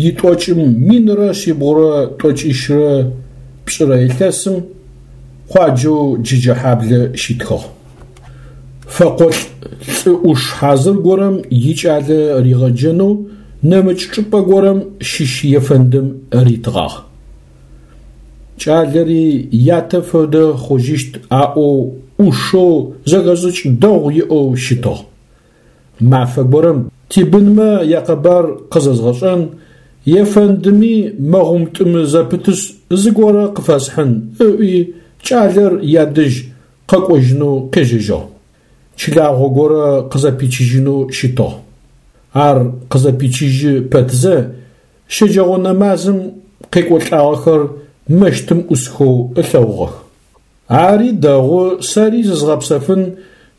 итӏокӏым 1192 илъэсым къуаджэу Джэджэхьаблэ щитхыгъ. Фэкъолӏ лӏы ӏуш хьазыр горэм икӏалэ ригъэджэнэу нэмыкӏ чӏыпӏэ горэм щыщ ефэндым ритыгъагъ. Кӏалэри ятэ фэдэ хъужьыщт аӏоу ӏушэу зэхэшӏыкӏ дэгъу иӏэу щытыгъ. Мафэ горэм тибынмэ якъэбар къызэзгъэшӏэн, ефэндыми мэгъумтӏымы зэпытышъ зыгорэ къыфэсхьын ыӏуи кӏалэр ядэжь къэкӏожьынэу къежьэжьыгъ. Чылагъо горэ къызэпичыжьынэу щытыгъ. Ар къызэпичыжьы пэтзэ, щэджэгъо нэмазым къекӏолӏагъэхэр мэщтым ӏусхэу ылъэгъугъэх. Ари дэгъу, сэри зызгъэпсэфын,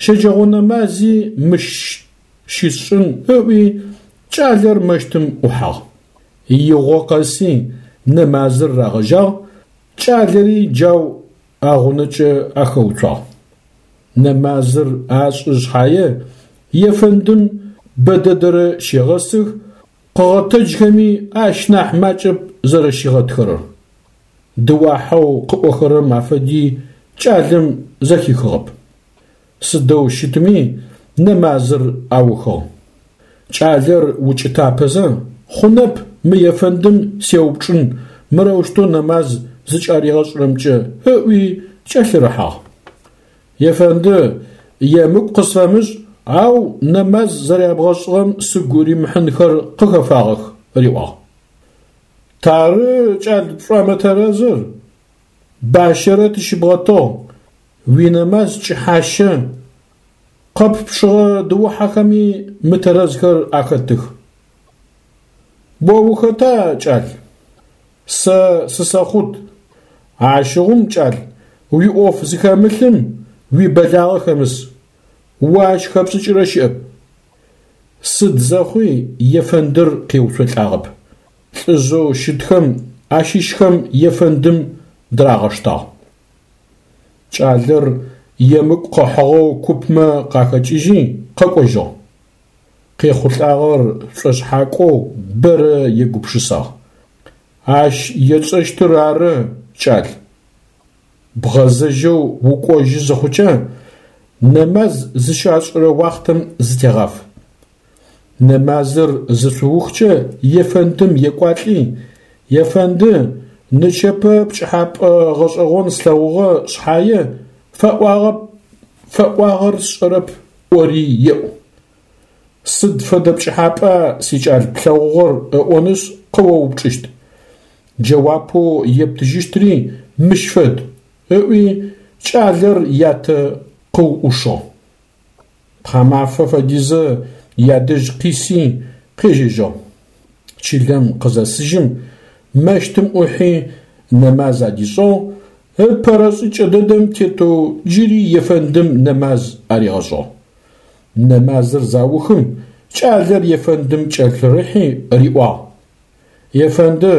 щэджэгъо нэмази мыщ щысшӏын ыӏуи, кӏалэр мэщтым ӏухьагъ. Игъо къэси нэмазыр рагъэжьагъ, кӏалэри джау агъунэкӏэ ахэуцуагъ. Нэмазыр ашӏы шъхьае, ефэндым бэдэдэрэ щегъэсых, къыгъэтэджхэми ащ нахь макӏэп зэрэщигъэтхэрэр. Дыуахьэу къыӏохэрэм афэди кӏалэм зэхихыгъэп. Сыдэу щытми, нэмазыр аухыгъ. Кӏалэр укӏытапэзэ, хъунэп мы ефэндым сеупчӏын мырэущтэу нэмаз зыкӏаригъэшӏырэмкӏэ ыӏуи кӏэлъырыхьагъ. Ефэнды, емыкӏу къысфэмышӏ, ау нэмаз зэрябгъэшӏыгъэм сыгу римыхьынхэр къыхэфагъэх, риӏуагъ. Тары, кӏал, пшӏомытэрэзыр, бащэрэ тыщыбгъэтыгъ, уинэмаз кӏыхьащэ, къэппчъыгъэ дыухьэхэми мытэрэзхэр ахэтых. О ухэта, кӏал? Сэ сысэхъут. Ащыгъум, кӏал, уиӏоф зыхэмылъым уибэлагъэ хэмыс. О ащ хэпшӏыкӏырэ щыӏэп. Сыд зэхъуи ефэндыр къеуцолӏагъэп. Лӏыжъэу щытхэм ащыщхэм ефэндым дырагъэштагъ. Кӏалэр емыкӏу къыхьыгъэу купмэ къахэкӏыжьи къэкӏожьыгъ. Къехъулӏагъэр шӏошъхьакӏоу бэрэ егупшысагъ. Ащ етшӏэщтыр ары, кӏал. Бгъэзэжьэу укӏожьы зыхъукӏэ, нэмаз зыщашӏырэ уахътэм зытегъаф. Нэмазыр зышъуухкӏэ ефэндым екӏуалӏи, Ефэнды, нычэпэ пкӏыхьапӏэ гъэшӏэгъон слъэгъугъэ шъхьае, фэӏуагъэп, фэӏуагъэр сшӏэрэп ӏори еӏу. Сыд фэдэ пкӏыхьапӏа сикӏал плъэгъугъэр ыӏонышъ къыоупчӏыщт. Джэуапэу ептыжьыщтри мыщ фэд, ыӏуи кӏалэр ятэ къыуӏушыгъ. Тхьамафэ фэдизэ ядэжь къиси къежьэжьыгъ. Чылэм къызэсыжьым, мэщтым ӏухьи нэмаз адишӏыгъ, ыпэрэ шӏыкӏэ дэдэм тетэу джыри ефэндым нэмаз аригъэшӏыгъ. Нэмазыр заухым, кӏалэр ефэндым кӏэлъырыхьи риӏуагъ: Ефэнды,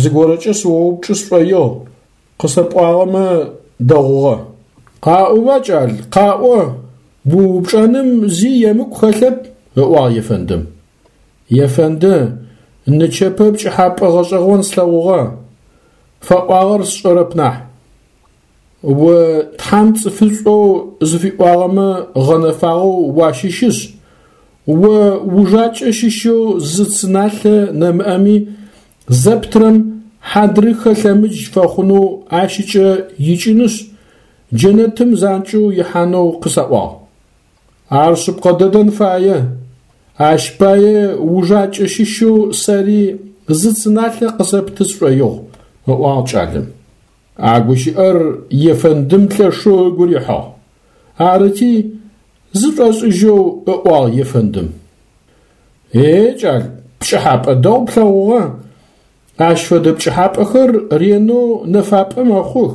зыгорэкӏэ сыоупчӏы сшӏоигъу, къысэпӏуагъэмэ дэгъугъэ. Къаӏоба, кӏал, къаӏо, уупчӏэным зи емыкӏу хэлъэп, ыӏуагъ ефэндым. Ефэнды, нычэпэ пкӏыхьапӏэ гъэшӏэгъон слъэгъугъэ, фэӏуагъэр сшӏэрэп нахь. О Тхьэм цӏыфышӏоу зыфиӏуагъэмэ гъэнэфагъэу уащыщышъ, о ужакӏэ щыщэу зы цы налъэ нэмыӏэми зэптырэм хьадрыхэ лъэмыдж фэхъунэу ащыкӏэ икӏынышъ, джэнэтым занкӏэу ихьанэу къысаӏуагъ. Ар шъыпкъэ дэдэн фае. Ащ пае ужакӏэ щыщэу сэри зы цы налъэ къысэпты сшӏоигъу, ыӏуагъ кӏалэм. А гущыӏэр ефэндым лъэшэу ыгу рихьыгъ. Арыти, Зышӏошӏыжьэу ыӏуагъ ефэндым. Е, кӏал, пкӏыхьапӏэ дэгъу плъэгъугъэ. Ащ фэдэ пкӏыхьапӏэхэр ренэу нэфапӏэ мэхъух.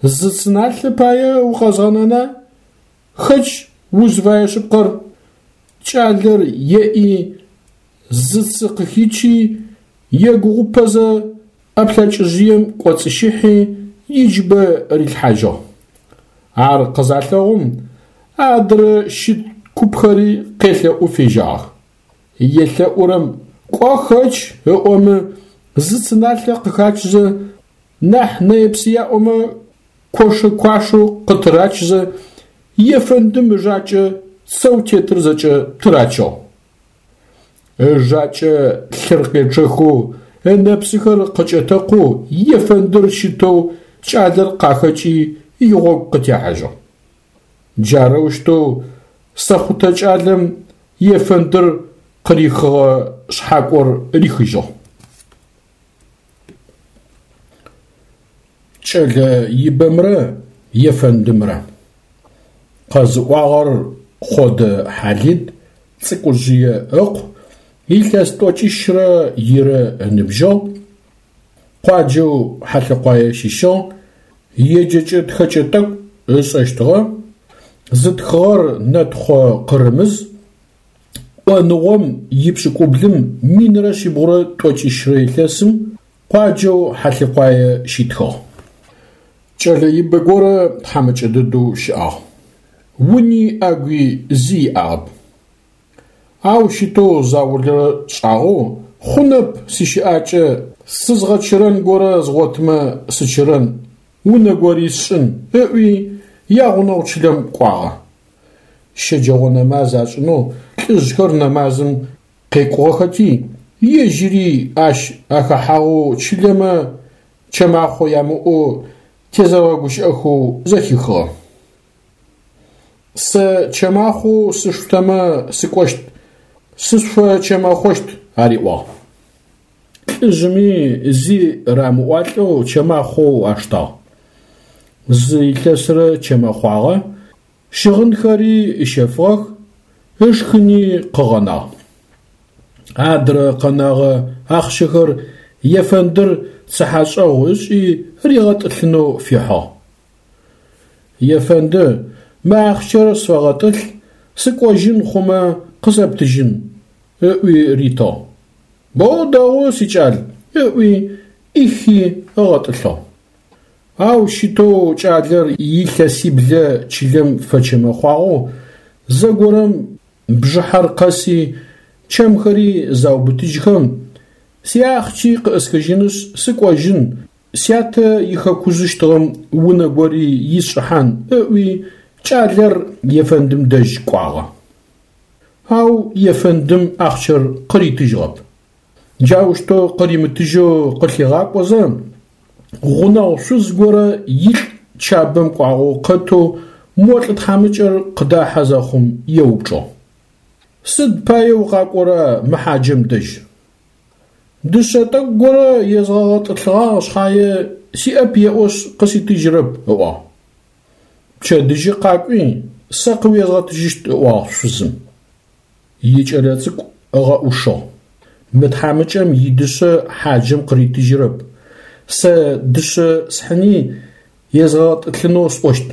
Зы цы налъэ пае укъэзгъэнэна? Хэкӏ узфэе шъыпкъэр. Кӏалэр еӏи, зы цы къыхичи, егугъупэзэ ӏэплъэкӏыжъыем кӏоцӏыщыхьи, иджыбэ рилъхьажьыгъ. Ар къызалъэгъум, адрэ щыт купхэри къелъэӏу фежьагъэх. Елъэӏурэм кӏо хэкӏ ыӏомэ, зы цы налъэ къыхачызэ, нахь нэе-псыяӏомэ кошэ-куашэу къытырачызэ, ефэндым ыжакӏэ цэу тетыр зэкӏэ тырачыгъ. Ыжакӏэ лъыр къечъэхэу, ынэпсыхэр къыкӏэтэкъоу ефэндыр щытэу кӏалэр къахэкӏи игъогу къытехьажьыгъ. Джарэущтэу сэхъутэ кӏалэм ефэндыр къырихыгъэ шъхьакӏор рихыжьыгъ. Кӏэлэ ибэмрэ ефэндымрэ. Къэзыӏуагъэр Хъодэ Хьалид Цӏыкӏужъые ыкъу, илъэс тӏокӏищрэ ирэ ыныбжьыгъ, къуаджэу Хьалъэкъуае щыщыгъ, еджэкӏэ-тхэкӏэ тӏэкӏу ышӏэщтыгъэ, зытхыгъэр Нэтхъо Къырымыз, ӏоныгъом ипшӏыкӏублым 1140 илъэсым къуаджэу Хьалъэкъуае щитхыгъ. Кӏэлэ ибэ горэ тхьамыкӏэ дэдэу щыӏагъ. Уни ӏэгуи зи иӏагъэп. Ау щытэу заулэрэ шӏагъэу, хъунэп сищыӏакӏэ, сызгъэчырэн горэ згъотымэ сычырэн, унэ гори сшӏын, ыӏуи ягъунэгъу чылэм кӏуагъэ. Щэджэгъо нэмаз ашӏынэу лӏыжъхэр нэмазым къекӏугъэхэти, ежьыри ащ ахэхьагъэу чылэмэ чэмахъо ямыӏэу тезэрэгъэгущыӏэхэу зэхихыгъэ. Сэ чэмахъоу сышъутэмэ сыкӏощт, сышъуфэчэмэхъощт, ариӏуагъ. Лӏыжъыми зи рамыӏуалӏэу чэмахъоу аштагъ. Зы илъэсрэ чэмэхъуагъэ, щыгъынхэри ыщэфыгъэх, ышхыни къыгъэнагъ. Адрэ къэнэгъэ ахъщэхэр ефэндыр цыхьэшӏэгъу ышӏи ригъэтӏылъынэу фихьыгъ. Ефэнды, мы ахъщэр сфэгъэтӏылъ, сыкӏожьын хъумэ къысэптыжьын, ыӏуи ритыгъ. Боу дэгъу, сикӏал, ыӏуи ӏихи ыгъэтӏылъыгъ. Ау щытэу кӏалэр илъэсиблэ чылэм фэчэмэхъуагъэу, зэгорэм бжыхьэр къэси, чэмхэри заубытыжьхэм, сиахъщи къыӏысхыжьынышъ сыкӏожьын, сятэ ихэкужъыщтыгъэм унэ гори исшӏыхьан ыӏуи, кӏалэр ефэндым дэжь кӏуагъэ. Ау ефэндым ахъщэр къыритыжьыгъэп. Джаущтэу къыримытыжьэу къылъигъакӏозэ, гъунэгъу шъуз горэ илӏ Чабэм кӏуагъэу къэтэу мо лӏы тхьамыкӏэр къыдахьэ зэхъум еупчӏыгъ. Сыд пае укъакӏора мы хьаджэм дэжь? Дышъэ тӏэкӏу горэ езгъэгъэтӏылъыгъагъ шъхьае сиӏэп еӏошъ къыситыжьырэп, ыӏуагъ. Пчэдыжьы къакӏуи, сэ къыуезгъэтыжьыщт, ыӏуагъ шъузым. Икӏэлэцӏыкӏу ыгъэӏушыгъ. Мы тхьамыкӏэм идышъэ хьаджэм къыритыжьырэп. Сэ дышъэ схьыни езгъэгъэтӏылъынэу сӏощт.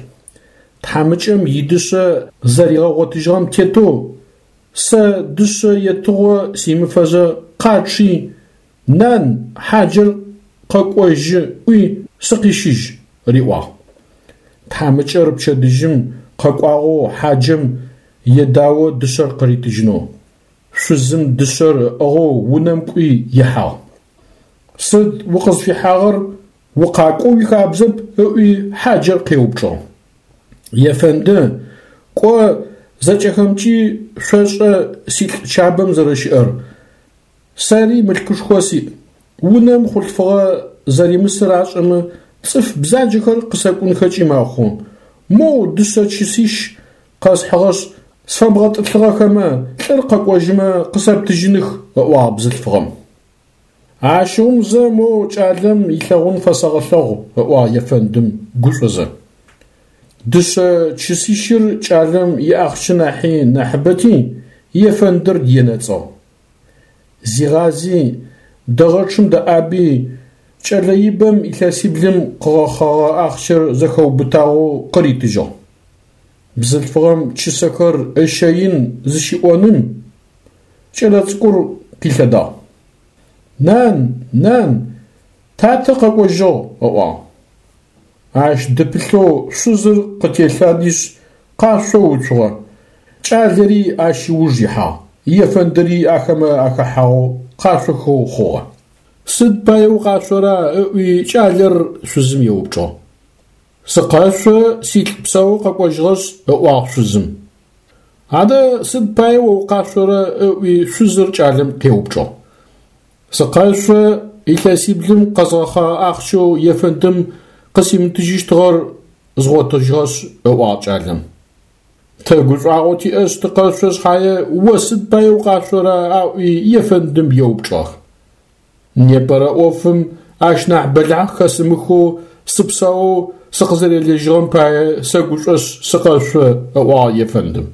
Тхьамыкӏэм идышъэ зэригъэгъотыжьыгъэм тетэу сэ дышъэ етыгъо симыфэзэ къачъи, нан, хьаджэр къэкӏожьы ӏуи сыкъищыжь, риӏуагъ. Тхьамыкӏэр пчэдыжьым къэкӏуагъэу хьаджэм едао дышъэр къыритыжьынэу. Шъузым дышъэр ыӏыгъэу унэм кӏуи ихьагъ. Сыд укъызфихьагъэр, укъакӏоу уихабзэп, ыӏуи хьаджэр къеупчӏыгъ. Ефэнды, кӏо зэкӏэхэмкӏи шъошӏэ силӏ Чабэм зэрэщыӏэр. Сэри мылъкушхо сиӏ. Унэм хъулъфыгъэ зэримысыр ашӏэмэ, цӏыф бзаджэхэр къысэкӏунхэкӏи мэхъу. Моу дышъэ чысищ къэсхьыгъэшъ, сфэбгъэтӏылъыгъэхэмэ, лӏыр къэкӏожьымэ къысэптыжьыных, ыӏуагъ бзылъфыгъэм. Ащыгъум зэ мо кӏалэм илъэгъун фэсэгъэлъэгъу, ыӏуагъ ефэндым гушӏозэ. Дышъэ чысищыр кӏалэм иахъщэ нахьи нахьыбэти, ефэндыр енэцӏыгъ. Зигъази, дэгъэчъым дэӏаби, кӏэлэ ибэм илъэсиблым къыгъэхъэгъэ ахъщэр зэхэубытагъэу къыритыжьыгъ. Бзылъфыгъэм чысэхэр ыщэин зыщиӏоным, кӏэлэцӏыкӏур къилъэдагъ. Нан, нан, татэ къэкӏожьыгъ, ыӏуагъ. Ащ дыпылъэу шъузыр къытелъадишъ къашъоу уцугъэ. Кӏалэри ащ ыуж ихьагъ, ефэндыри ахэмэ ахэхьагъэу къашъохэу хъугъэ. Сыд пае укъашъора? ыӏуи кӏалэр шъузым еупчӏыгъ. Сыкъэшъо, силӏ псэу къэкӏожьыгъэшъ, ыӏуагъ шъузым. Адэ сыд пае о укъашъорэ? ыӏуи шъузыр кӏалэм къеупчӏыгъ. Сыкъэшъо, илъэсиблым къэзгъэхъэгъэ ахъщэу ефэндым къысимытыжьыщтыгъэр згъотыжьыгъэшъ, ыӏуагъ кӏалэм. Тэ гушӏуагъо тиӏэшъ тыкъэшъо шъхьае о сыд пае укъашъора? аӏуи ефэндым еупчӏыгъэх. Непэрэ ӏофым ащ нахь бэлахь хэсымыхэу сыпсэоу сыкъызэрелыжьыгъэм пае сэгушӏошъ сыкъэшъо, ыӏуагъ ефэндым.